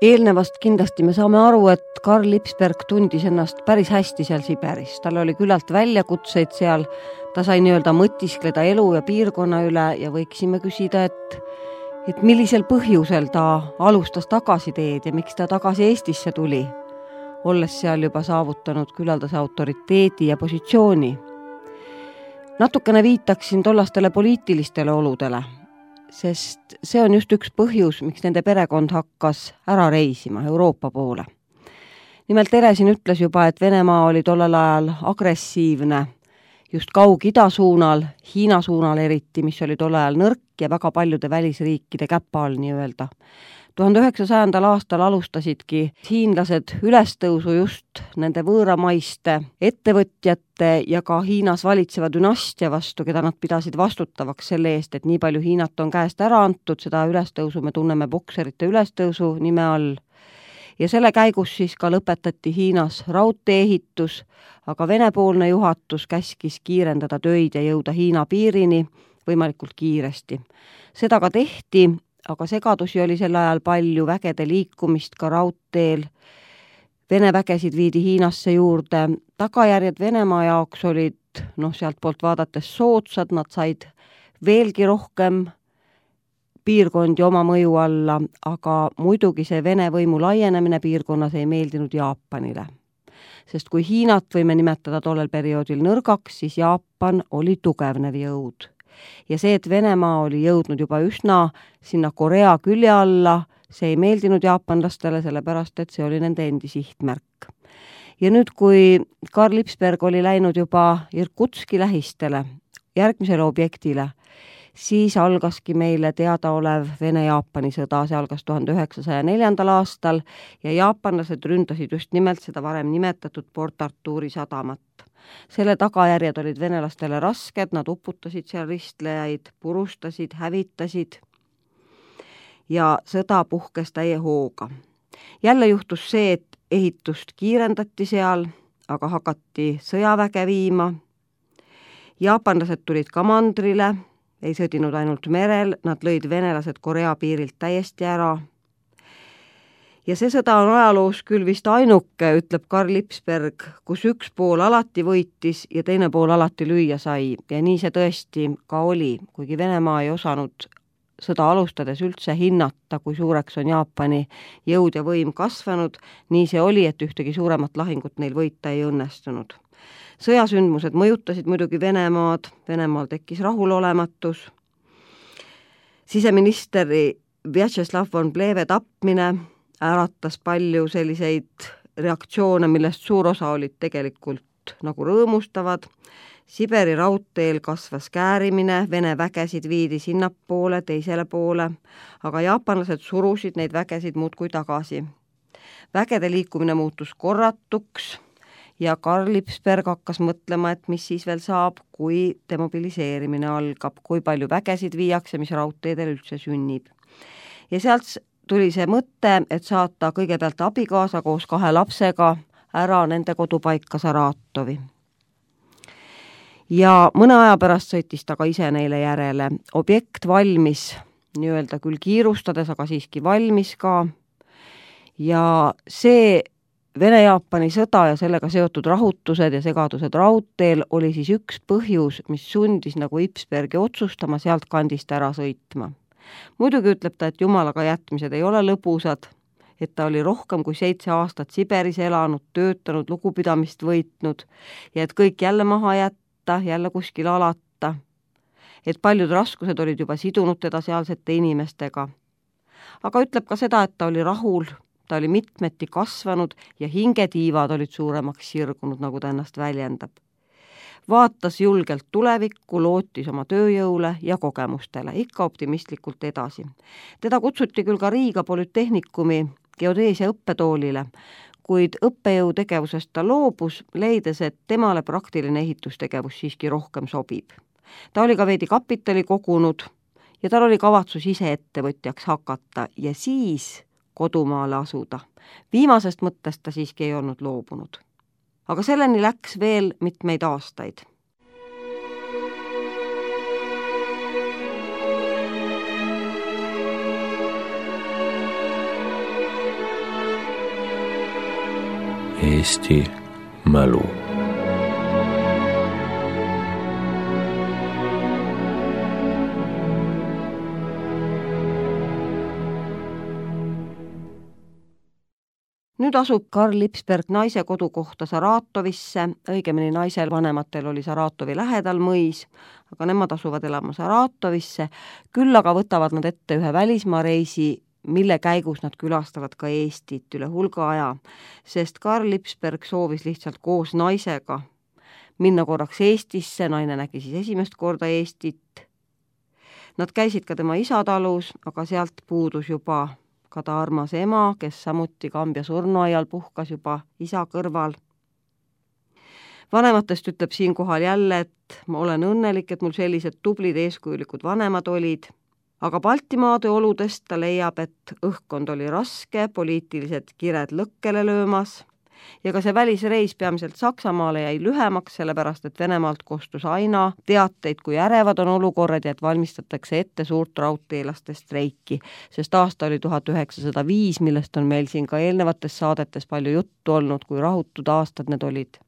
Eelnevast kindlasti me saame aru, et Karl Ipsberg tundis ennast päris hästi seal Siberis. Tal oli küllalt väljakutseid seal, ta sai nii-öelda mõtiskleda elu ja piirkonna üle ja võiksime küsida, et, et millisel põhjusel ta alustas tagasiteed ja miks ta tagasi Eestisse tuli, olles seal juba saavutanud küllaldase autoriteedi ja positsiooni. Natukene viitaksin tollastele poliitilistele oludele, sest see on just üks põhjus, miks nende perekond hakkas ära reisima Euroopa poole. Nimelt Teresin ütles juba, et Venemaa oli tollel ajal agressiivne just Kaug-Ida suunal, Hiina suunal eriti, mis oli tollel ajal nõrk ja väga paljude välisriikide käpa all nii-öelda. tuhande üheksasajandal aastal alustasidki hiinlased ülestõusu just nende võõramaiste ettevõtjate ja ka Hiinas valitseva dünastia vastu, keda nad pidasid vastutavaks selle eest, et nii palju Hiinat on käest ära antud, seda ülestõusu me tunneme bokserite ülestõusu nime all. Ja selle käigus siis ka lõpetati Hiinas raudtee-ehitus, aga Vene-poolne juhatus käskis kiirendada töid ja jõuda Hiina piirini võimalikult kiiresti. Seda ka tehti, aga segadusi oli sel ajal palju, vägede liikumist ka raudteel. Vene vägesid viidi Hiinasse juurde. Tagajärjed Venemaa jaoks olid, noh, sealt poolt vaadates soodsad, nad said veelgi rohkem piirkondi oma mõju alla, aga muidugi see Vene võimu laienemine piirkonnas ei meeldinud Jaapanile. Sest kui Hiinat võime nimetada tollel perioodil nõrgaks, siis Jaapan oli tugevnev jõud. Ja see, et Venemaa oli jõudnud juba üsna sinna Korea külje alla, see ei meeldinud jaapanlastele, sellepärast et see oli nende endi sihtmärk. Ja nüüd, kui Karl Lipsberg oli läinud juba Irkutski lähistele, järgmisele objektile, siis algaski meile teadaolev Vene-Jaapani sõda, see algas tuhande üheksasaja neljandal aastal ja jaapanlased ründasid just nimelt seda varem nimetatud Port Arturi sadamat. Selle tagajärjed olid venelastele rasked, nad uputasid seal ristlejaid, purustasid, hävitasid ja sõda puhkes täie hooga. Jälle juhtus see, et ehitust kiirendati seal, aga hakati sõjaväge viima. Jaapanlased tulid ka mandrile, ei sõdinud ainult merel, nad lõid venelased Korea piirilt täiesti ära. Ja see sõda on ajaloos küll vist ainuke, ütleb Karl Lipsberg, kus üks pool alati võitis ja teine pool alati lüüa sai. Ja nii see tõesti ka oli, kuigi Venemaa ei osanud sõda alustades üldse hinnata, kui suureks on Jaapani jõud ja võim kasvanud, nii see oli, et ühtegi suuremat lahingut neil võita ei õnnestunud. Sõjasündmused mõjutasid muidugi Venemaad, Venemaal tekkis rahulolematus. Siseministeri Vjatšeslav von Plehve tapmine äratas palju selliseid reaktsioone, millest suur osa olid tegelikult nagu rõõmustavad. Siberi raudteel kasvas käärimine, Vene vägesid viidi sinnapoole, teisele poole, aga jaapanlased surusid neid vägesid muudkui tagasi. Vägede liikumine muutus korratuks ja Karl Lipsberg hakkas mõtlema, et mis siis veel saab, kui demobiliseerimine algab, kui palju vägesid viiakse, mis raudteedel üldse sünnib. Ja sealt tuli see mõte, et saata kõigepealt abikaasa koos kahe lapsega ära nende kodupaika Saratovi. Ja mõne aja pärast sõitis ta ka ise neile järele. Objekt valmis, nii-öelda küll kiirustades, aga siiski valmis ka. Ja see Vene-Jaapani sõda ja sellega seotud rahutused ja segadused raudteel oli siis üks põhjus, mis sundis nagu Lipsbergi otsustama sealt kandist ära sõitma. Muidugi ütleb ta, et jumalaga jätmised ei ole lõbusad, et ta oli rohkem kui seitse aastat Siberis elanud, töötanud, lugupidamist võitnud ja et kõik jälle maha jätta, jälle kuskil alata, et paljud raskused olid juba sidunud teda sealsete inimestega. Aga ütleb ka seda, et ta oli rahul, ta oli mitmeti kasvanud ja hingetiivad olid suuremaks sirgunud, nagu ta ennast väljendab. Vaatas julgelt tulevikku, lootis oma tööjõule ja kogemustele, ikka optimistlikult edasi. Teda kutsuti küll ka Riiga Polütehnikumi geodeesia õppetoolile, kuid õppejõu tegevusest ta loobus, leides, et temale praktiline ehitustegevus siiski rohkem sobib. Ta oli ka veidi kapitali kogunud ja tal oli kavatsus ise ettevõtjaks hakata ja siis kodumaale asuda. Viimasest mõttest ta siiski ei olnud loobunud. Aga selleni läks veel mitmeid aastaid. Eesti mälu. Nüüd asub Karl Lipsberg naise kodukohta Saratovisse, õigemini naisel vanematel oli Saratovi lähedal mõis, aga nemad asuvad elama Saratovisse, küll aga võtavad nad ette ühe välismaa reisi, mille käigus nad külastavad ka Eestit üle hulga aja, sest Karl Lipsberg soovis lihtsalt koos naisega minna korraks Eestisse, naine nägi siis esimest korda Eestit. Nad käisid ka tema isa talus, aga sealt puudus juba ka ta armas ema, kes samuti Kambja surnuaial puhkas juba isa kõrval. Vanematest ütleb siinkohal jälle, et ma olen õnnelik, et mul sellised tublid eeskujulikud vanemad olid, aga Baltimaade oludest ta leiab, et õhkkond oli raske, poliitilised kired lõkkele löömas ja ka see välisreis peamiselt Saksamaale jäi lühemaks, sellepärast et Venemaalt kostus aina teateid, kui ärevad on olukorrad ja et valmistatakse ette suurt raudteelaste streiki, sest aasta oli tuhat üheksasada viis, millest on meil siin ka eelnevates saadetes palju juttu olnud, kui rahutud aastad need olid.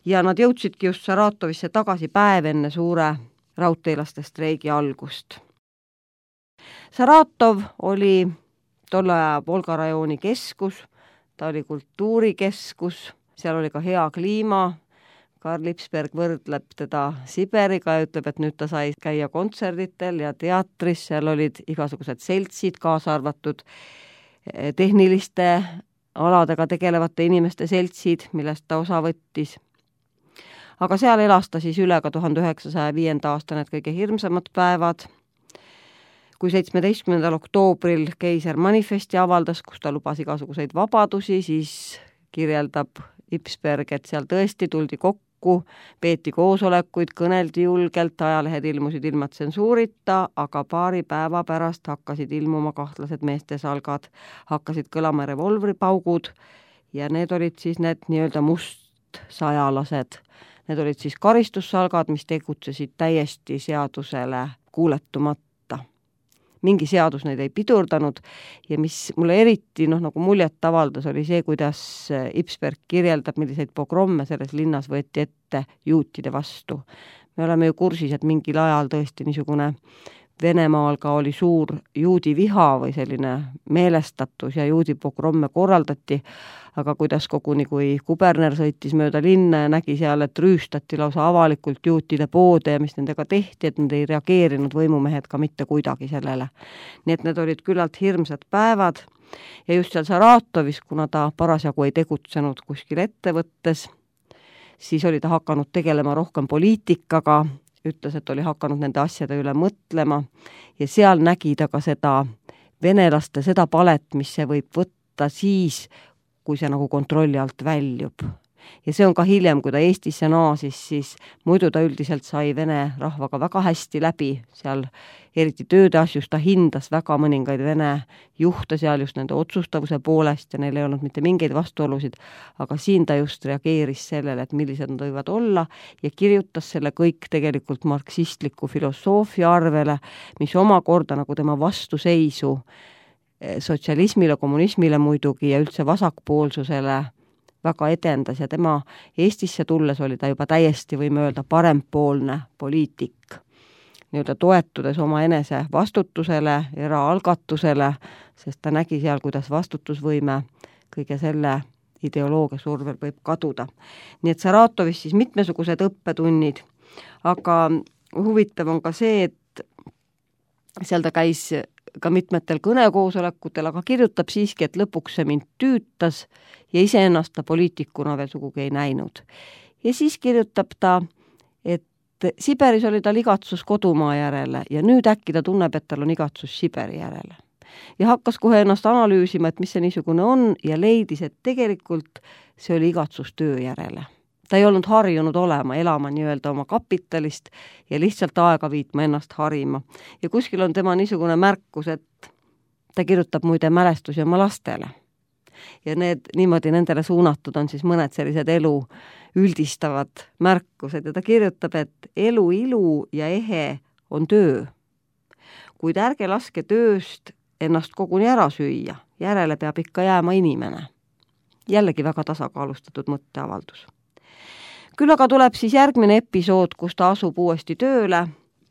Ja nad jõudsidki just Saratovisse tagasi päev enne suure raudteelaste streigi algust. Saratov oli tolle aja Volga rajooni keskus, ta oli kultuurikeskus, seal oli ka hea kliima. Karl Lipsberg võrdleb teda Siberiga ja ütleb, et nüüd ta sai käia kontserditel ja teatris, seal olid igasugused seltsid, kaasa arvatud tehniliste aladega tegelevate inimeste seltsid, millest ta osa võttis. Aga seal elas ta siis üle ka tuhande üheksasaja viienda aasta need kõige hirmsamad päevad, kui seitsmeteistkümnendal oktoobril keiser manifesti avaldas, kus ta lubas igasuguseid vabadusi, siis kirjeldab Lipsberg, et seal tõesti tuldi kokku, peeti koosolekuid, kõneldi julgelt, ajalehed ilmusid ilma tsensuurita, aga paari päeva pärast hakkasid ilmuma kahtlased meestesalgad, hakkasid kõlama revolvripaugud ja need olid siis need nii-öelda mustsajalased. Need olid siis karistussalgad, mis tegutsesid täiesti seadusele kuuletumata. Mingi seadus neid ei pidurdanud ja mis mulle eriti noh, nagu muljet avaldas, oli see, kuidas Lipsberg kirjeldab, milliseid pogromme selles linnas võeti ette juutide vastu. Me oleme ju kursis, et mingil ajal tõesti niisugune Venemaal ka oli suur juudi viha või selline meelestatus ja juudi pogromme korraldati, aga kuidas koguni, kui kuberner sõitis mööda linna ja nägi seal, et rüüstati lausa avalikult juutide poode ja mis nendega tehti, et nad ei reageerinud võimumehed ka mitte kuidagi sellele. Nii et need olid küllalt hirmsad päevad ja just seal Saratovis, kuna ta parasjagu ei tegutsenud kuskil ettevõttes, siis oli ta hakanud tegelema rohkem poliitikaga, ütles, et oli hakanud nende asjade üle mõtlema ja seal nägi ta ka seda venelaste, seda palet, mis see võib võtta siis, kui see nagu kontrolli alt väljub. Ja see on ka hiljem, kui ta Eestisse naasis, siis muidu ta üldiselt sai vene rahvaga väga hästi läbi, seal eriti tööde asjus ta hindas väga mõningaid vene juhte seal just nende otsustavuse poolest ja neil ei olnud mitte mingeid vastuolusid, aga siin ta just reageeris sellele, et millised nad võivad olla ja kirjutas selle kõik tegelikult marksistliku filosoofia arvele, mis omakorda nagu tema vastuseisu sotsialismile, kommunismile muidugi ja üldse vasakpoolsusele väga edendas ja tema Eestisse tulles oli ta juba täiesti, võime öelda, parempoolne poliitik. Nii-öelda toetudes oma enese vastutusele, eraalgatusele, sest ta nägi seal, kuidas vastutusvõime kõige selle ideoloogia survel võib kaduda. Nii et Saratovis siis mitmesugused õppetunnid, aga huvitav on ka see, et seal ta käis ka mitmetel kõnekoosolekutel, aga kirjutab siiski, et lõpuks see mind tüütas ja iseennast ta poliitikuna veel sugugi ei näinud. Ja siis kirjutab ta, et Siberis oli tal igatsus kodumaa järele ja nüüd äkki ta tunneb, et tal on igatsus Siberi järele. Ja hakkas kohe ennast analüüsima, et mis see niisugune on ja leidis, et tegelikult see oli igatsus töö järele. Ta ei olnud harjunud olema, elama nii-öelda oma kapitalist ja lihtsalt aega viitma ennast harima. Ja kuskil on tema niisugune märkus, et ta kirjutab muide mälestusi oma lastele. Ja need niimoodi nendele suunatud on siis mõned sellised elu üldistavad märkused ja ta kirjutab, et elu ilu ja ehe on töö. Kuid ärge laske tööst ennast koguni ära süüa, järele peab ikka jääma inimene. Jällegi väga tasakaalustatud mõtteavaldus. Küll aga tuleb siis järgmine episood, kus ta asub uuesti tööle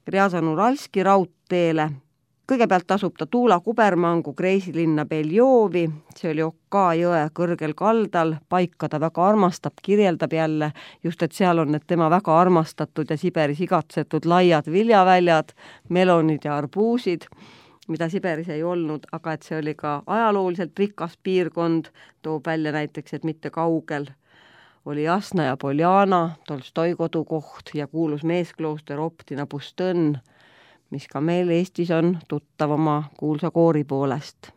Rjazan-Uralski raudteele. Kõigepealt asub ta Tuula kubermangu kreisilinna Beljovi, see oli Oka jõe kõrgel kaldal, paika ta väga armastab, kirjeldab jälle just, et seal on need tema väga armastatud ja Siberis igatsetud laiad viljaväljad, melonid ja arbuusid, mida Siberis ei olnud, aga et see oli ka ajalooliselt rikas piirkond, toob välja näiteks, et mitte kaugel oli Jasna ja Poljana, Tolstoi kodukoht ja kuulus meesklooster Optina Pustõnn, mis ka meil Eestis on tuttav oma kuulsa koori poolest.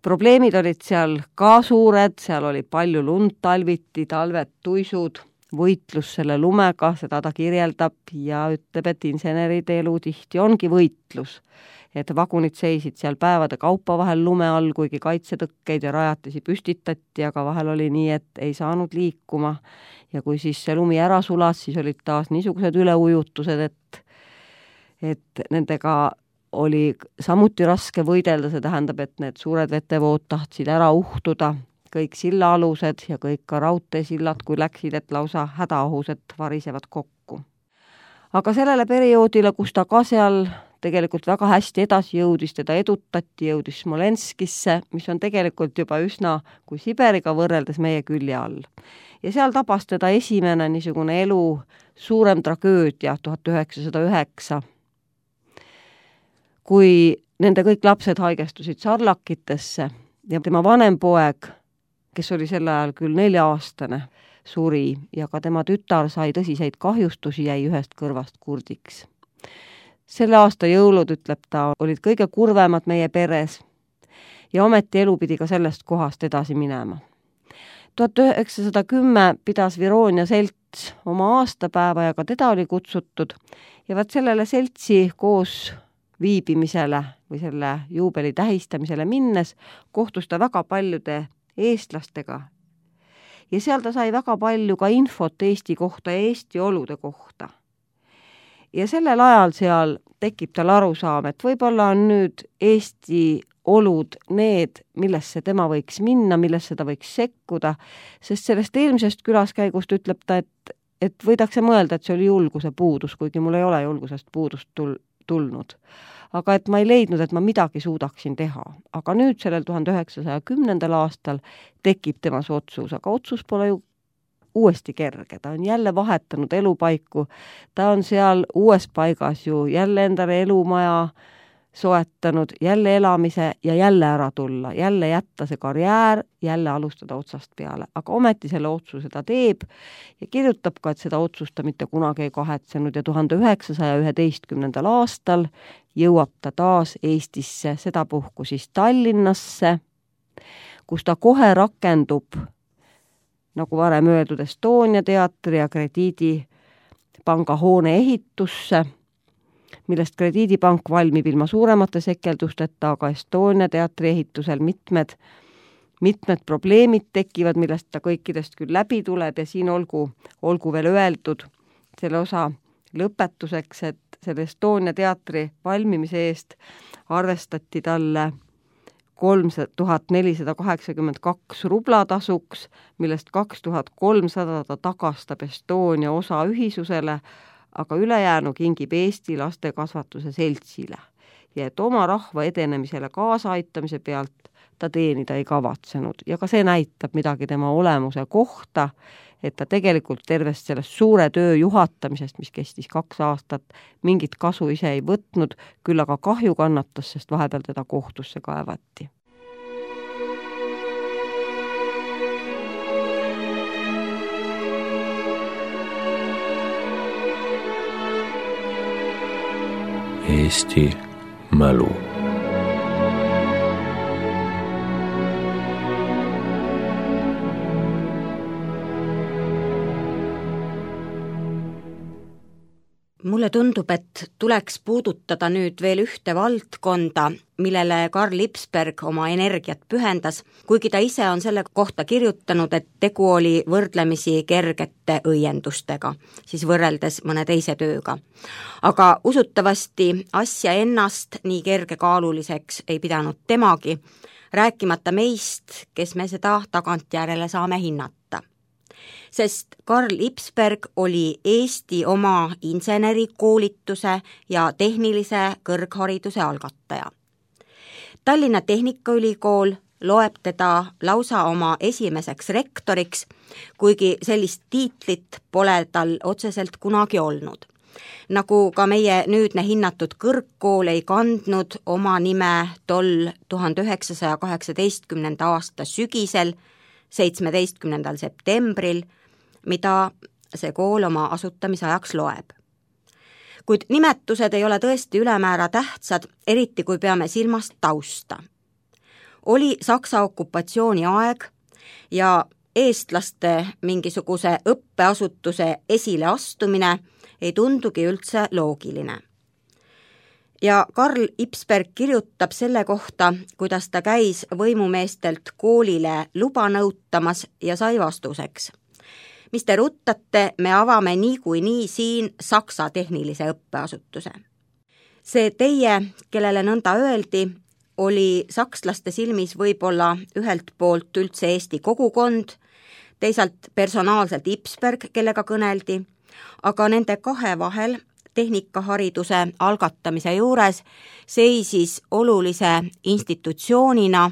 Probleemid olid seal ka suured, seal oli palju lund talviti, talved tuisud, võitlus selle lumega, seda ta kirjeldab ja ütleb, et inseneride elu tihti ongi võitlus. Et vagunid seisid seal päevade kaupa vahel lume all, kuigi kaitsetõkkeid ja rajatisi püstitati, aga vahel oli nii, et ei saanud liikuma. Ja kui siis see lumi ära sulas, siis olid taas niisugused üleujutused, et, et nendega oli samuti raske võidelda, see tähendab, et need suured vetevood tahtsid ära uhtuda, kõik sillaalused ja kõik ka raudteesillad, kui läksid, et lausa hädaohus, et varisevad kokku. Aga sellele perioodile, kus ta ka seal tegelikult väga hästi edasi jõudis, teda edutati, jõudis Smolenskisse, mis on tegelikult juba üsna kui Siberiga võrreldes meie külje all. Ja seal tabas teda esimene niisugune elu suurem tragöödia tuhat üheksasada üheksa, kui nende kõik lapsed haigestusid sarlakitesse ja tema vanem poeg, kes oli sel ajal küll nelja-aastane, suri ja ka tema tütar sai tõsiseid kahjustusi, jäi ühest kõrvast kurdiks. Selle aasta jõulud, ütleb ta, olid kõige kurvemad meie peres ja ometi elu pidi ka sellest kohast edasi minema. tuhat üheksasada kümme pidas Vironia selts oma aastapäeva ja ka teda oli kutsutud ja vaat sellele seltsi koos viibimisele või selle juubeli tähistamisele minnes kohtus ta väga paljude eestlastega ja seal ta sai väga palju ka infot Eesti kohta ja Eesti olude kohta. Ja sellel ajal seal tekib tal arusaam, et võib-olla on nüüd Eesti olud need, millesse tema võiks minna, millesse ta võiks sekkuda, sest sellest eelmisest külaskäigust ütleb ta, et, et võidakse mõelda, et see oli julguse puudus, kuigi mul ei ole julgusest puudust tul- tulnud. Aga et ma ei leidnud, et ma midagi suudaksin teha. Aga nüüd sellel tuhande üheksasaja kümnendal aastal tekib temas otsus, aga otsus pole ju uuesti kerge. Ta on jälle vahetanud elupaiku, ta on seal uues paigas ju jälle endale elumaja soetanud, jälle elamise ja jälle ära tulla, jälle jätta see karjäär, jälle alustada otsast peale. Aga ometi selle otsuse ta teeb ja kirjutab ka, et seda otsust ta mitte kunagi ei kahetsenud ja tuhande üheksasaja üheteistkümnendal aastal jõuab ta taas Eestisse, sedapuhku siis Tallinnasse, kus ta kohe rakendub, nagu varem öeldud, Estonia teatri ja Krediidipanga hoone ehitusse, millest Krediidipank valmib ilma suuremate sekeldusteta, aga Estonia teatri ehitusel mitmed, mitmed probleemid tekivad, millest ta kõikidest küll läbi tuleb ja siin olgu, olgu veel öeldud selle osa lõpetuseks, et selle Estonia teatri valmimise eest arvestati talle kolm tuhat nelisada kaheksakümmend kaks rublatasuks, millest kaks tuhat kolmsada ta tagastab Estonia osa ühisusele, aga ülejäänu kingib Eesti lastekasvatuse seltsile ja et oma rahva edenemisele kaasaaitamise pealt ta teenida ei kavatsenud. Ja ka see näitab midagi tema olemuse kohta, et ta tegelikult tervest sellest suure töö juhatamisest, mis kestis kaks aastat, mingit kasu ise ei võtnud, küll aga kahju kannatas, sest vahepeal teda kohtusse kaevati. Eesti mälu. Mulle tundub, et tuleks puudutada nüüd veel ühte valdkonda, millele Karl Lipsberg oma energiat pühendas, kuigi ta ise on selle kohta kirjutanud, et tegu oli võrdlemisi kergete õiendustega, siis võrreldes mõne teise tööga. Aga usutavasti asja ennast nii kergekaaluliseks ei pidanud temagi, rääkimata meist, kes me seda tagantjärele saame hinnata. Sest Karl Lipsberg oli Eesti oma insenerikoolituse ja tehnilise kõrghariduse algataja. Tallinna Tehnikaülikool loeb teda lausa oma esimeseks rektoriks, kuigi sellist tiitlit pole tal otseselt kunagi olnud. Nagu ka meie nüüdne hinnatud kõrgkool ei kandnud oma nime tol tuhande üheksasaja kaheksateistkümnenda aasta sügisel, seitsmeteistkümnendal septembril, mida see kool oma asutamise ajaks loeb. Kuid nimetused ei ole tõesti ülemäära tähtsad, eriti kui peame silmas tausta. Oli Saksa okupatsiooni aeg ja eestlaste mingisuguse õppeasutuse esileastumine ei tundugi üldse loogiline. Ja Karl Lipsberg kirjutab selle kohta, kuidas ta käis võimumeestelt koolile luba nõutamas ja sai vastuseks. Mis te ruttate, me avame niikuinii siin Saksa tehnilise õppeasutuse. See teie, kellele nõnda öeldi, oli sakslaste silmis võib-olla ühelt poolt üldse Eesti kogukond, teisalt personaalselt Lipsberg, kellega kõneldi, aga nende kahe vahel tehnikahariduse algatamise juures seisis olulise institutsioonina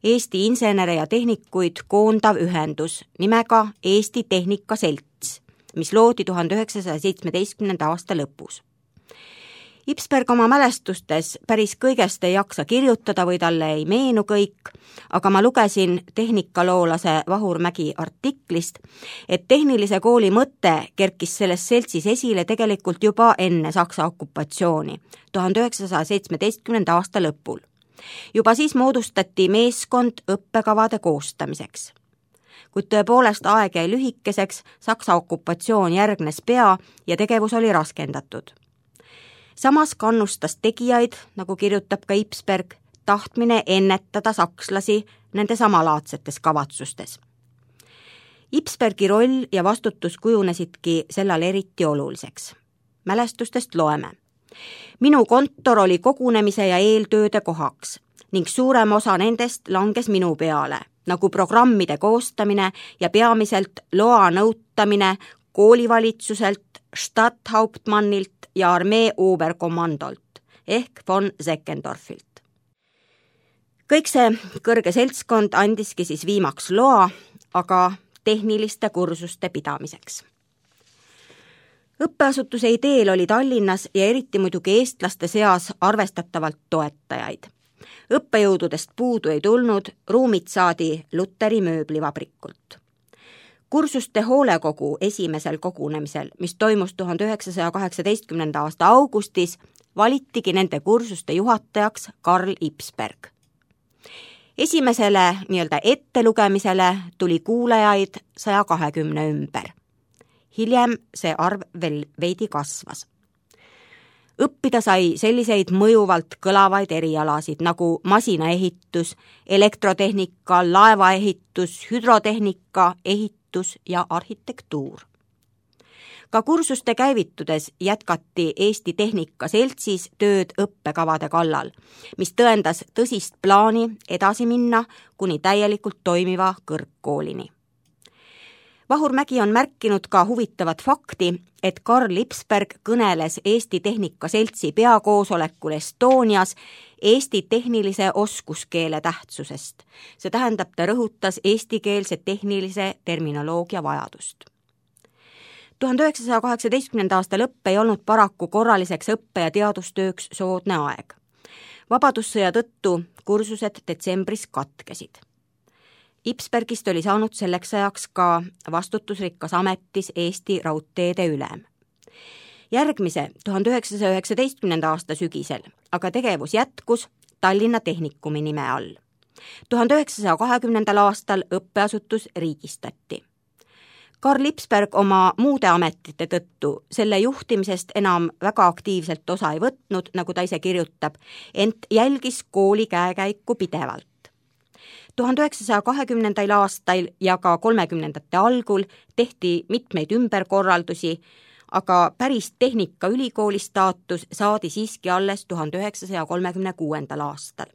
Eesti insenere ja tehnikuid koondav ühendus nimega Eesti Tehnikaselts, mis loodi tuhande üheksasaja seitsmeteistkümnenda aasta lõpus. Ipsberg oma mälestustes päris kõigest ei jaksa kirjutada või talle ei meenu kõik, aga ma lugesin tehnikaloolase Vahur Mägi artiklist, et tehnilise kooli mõte kerkis selles seltsis esile tegelikult juba enne Saksa okupatsiooni, tuhande üheksasaja seitsmeteistkümnenda aasta lõpul. Juba siis moodustati meeskond õppekavade koostamiseks. Kuid tõepoolest aeg jäi lühikeseks, Saksa okupatsioon järgnes pea ja tegevus oli raskendatud. Samas kannustas tegijaid, nagu kirjutab ka Ipsberg, tahtmine ennetada sakslasi nende samalaadsetes kavatsustes. Ipsbergi roll ja vastutus kujunesidki sellal eriti oluliseks. Mälestustest loeme. Minu kontor oli kogunemise ja eeltööde kohaks ning suurem osa nendest langes minu peale, nagu programmide koostamine ja peamiselt loa nõutamine koolivalitsuselt, Stadthauptmannilt ja armee Oberkommandolt ehk von Seckendorfilt. Kõik see kõrge seltskond andiski siis viimaks loa, aga tehniliste kursuste pidamiseks. Õppeasutuse ideel oli Tallinnas ja eriti muidugi eestlaste seas arvestatavalt toetajaid. Õppejõududest puudu ei tulnud, ruumid saadi Luteri mööblivabrikult. Kursuste hoolekogu esimesel kogunemisel, mis toimus tuhande üheksasaja kaheksateistkümnenda aasta augustis, valitigi nende kursuste juhatajaks Karl Ipsberg. Esimesele nii-öelda ettelugemisele tuli kuulajaid saja kahekümne ümber. Hiljem see arv veel veidi kasvas. Õppida sai selliseid mõjuvalt kõlavaid erialasid nagu masinaehitus, elektrotehnika, laevaehitus, hüdrotehnika, ehitus ja arhitektuur. Ka kursuste käivitudes jätkati Eesti Tehnikaseltsis tööd õppekavade kallal, mis tõendas tõsist plaani edasi minna kuni täielikult toimiva kõrgkoolini. Vahur Mägi on märkinud ka huvitavat fakti, et Karl Ipsberg kõneles Eesti Tehnikaseltsi peakoosolekul Estonias Eesti tehnilise oskuskeele tähtsusest. See tähendab, ta rõhutas eestikeelse tehnilise terminoloogia vajadust. tuhande üheksasaja kaheksateistkümnenda aasta lõpp ei olnud paraku korraliseks õppe- ja teadustööks soodne aeg. Vabadussõja tõttu kursused detsembris katkesid. Ipsbergist oli saanud selleks ajaks ka vastutusrikkas ametis Eesti Raudteede ülem. Järgmise tuhande üheksasaja üheksateistkümnenda aasta sügisel aga tegevus jätkus Tallinna Tehnikumi nime all. tuhande üheksasaja kahekümnendal aastal õppeasutus riigistati. Karl Ipsberg oma muude ametite tõttu selle juhtimisest enam väga aktiivselt osa ei võtnud, nagu ta ise kirjutab, ent jälgis kooli käekäiku pidevalt. tuhande üheksasaja kahekümnendal aastal ja ka kolmekümnendate algul tehti mitmeid ümberkorraldusi, aga päris Tehnikaülikooli staatus saadi siiski alles tuhande üheksasaja kolmekümne kuuendal aastal.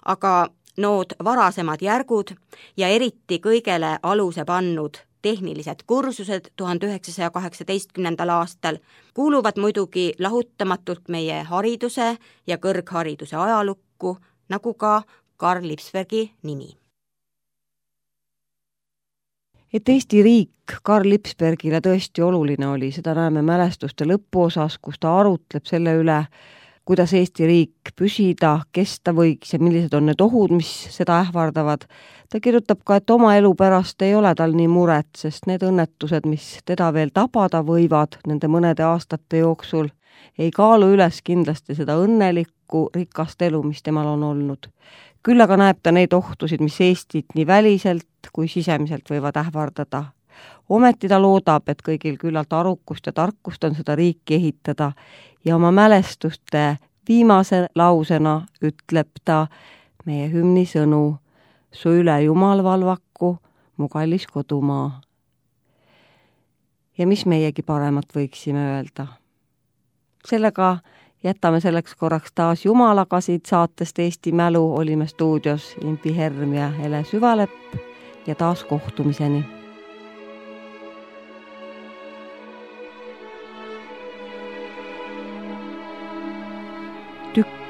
Aga nood varasemad järgud ja eriti kõigele aluse pannud tehnilised kursused tuhande üheksasaja kaheksateistkümnendal aastal kuuluvad muidugi lahutamatult meie hariduse ja kõrghariduse ajalukku, nagu ka Karl Ipsbergi nimi. Et Eesti riik Karl Ipsbergile tõesti oluline oli, seda näeme mälestuste lõpuosas, kus ta arutleb selle üle, kuidas Eesti riik püsida, kesta võiks ja millised on need ohud, mis seda ähvardavad. Ta kirjutab ka, et oma elu pärast ei ole tal nii muret, sest need õnnetused, mis teda veel tabada võivad nende mõnede aastate jooksul, ei kaalu üles kindlasti seda õnnelikku, rikast elu, mis temal on olnud. Küll aga näeb ta neid ohtusid, mis Eestit nii väliselt kui sisemiselt võivad ähvardada. Ometi ta loodab, et kõigil küllalt arukust ja tarkust on seda riiki ehitada ja oma mälestuste viimase lausena ütleb ta meie hümni sõnu: su üle Jumal valvaku, mu kallis kodumaa. Ja mis meiegi paremat võiksime öelda? Sellega jätame selleks korraks taas Jumalaga siit saatest Eesti Mälu, olime stuudios Impi Herm ja Ele Süvalepp ja taas kohtumiseni.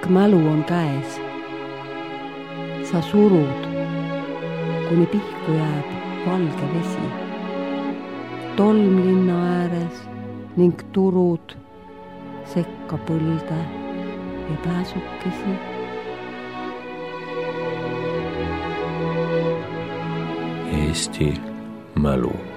pikk mälu on käes. Sa surud, kuni pihku jääb valge vesi. Tolm linna ääres ning turud sekka põlde ja pääsukesi. Eesti mälu.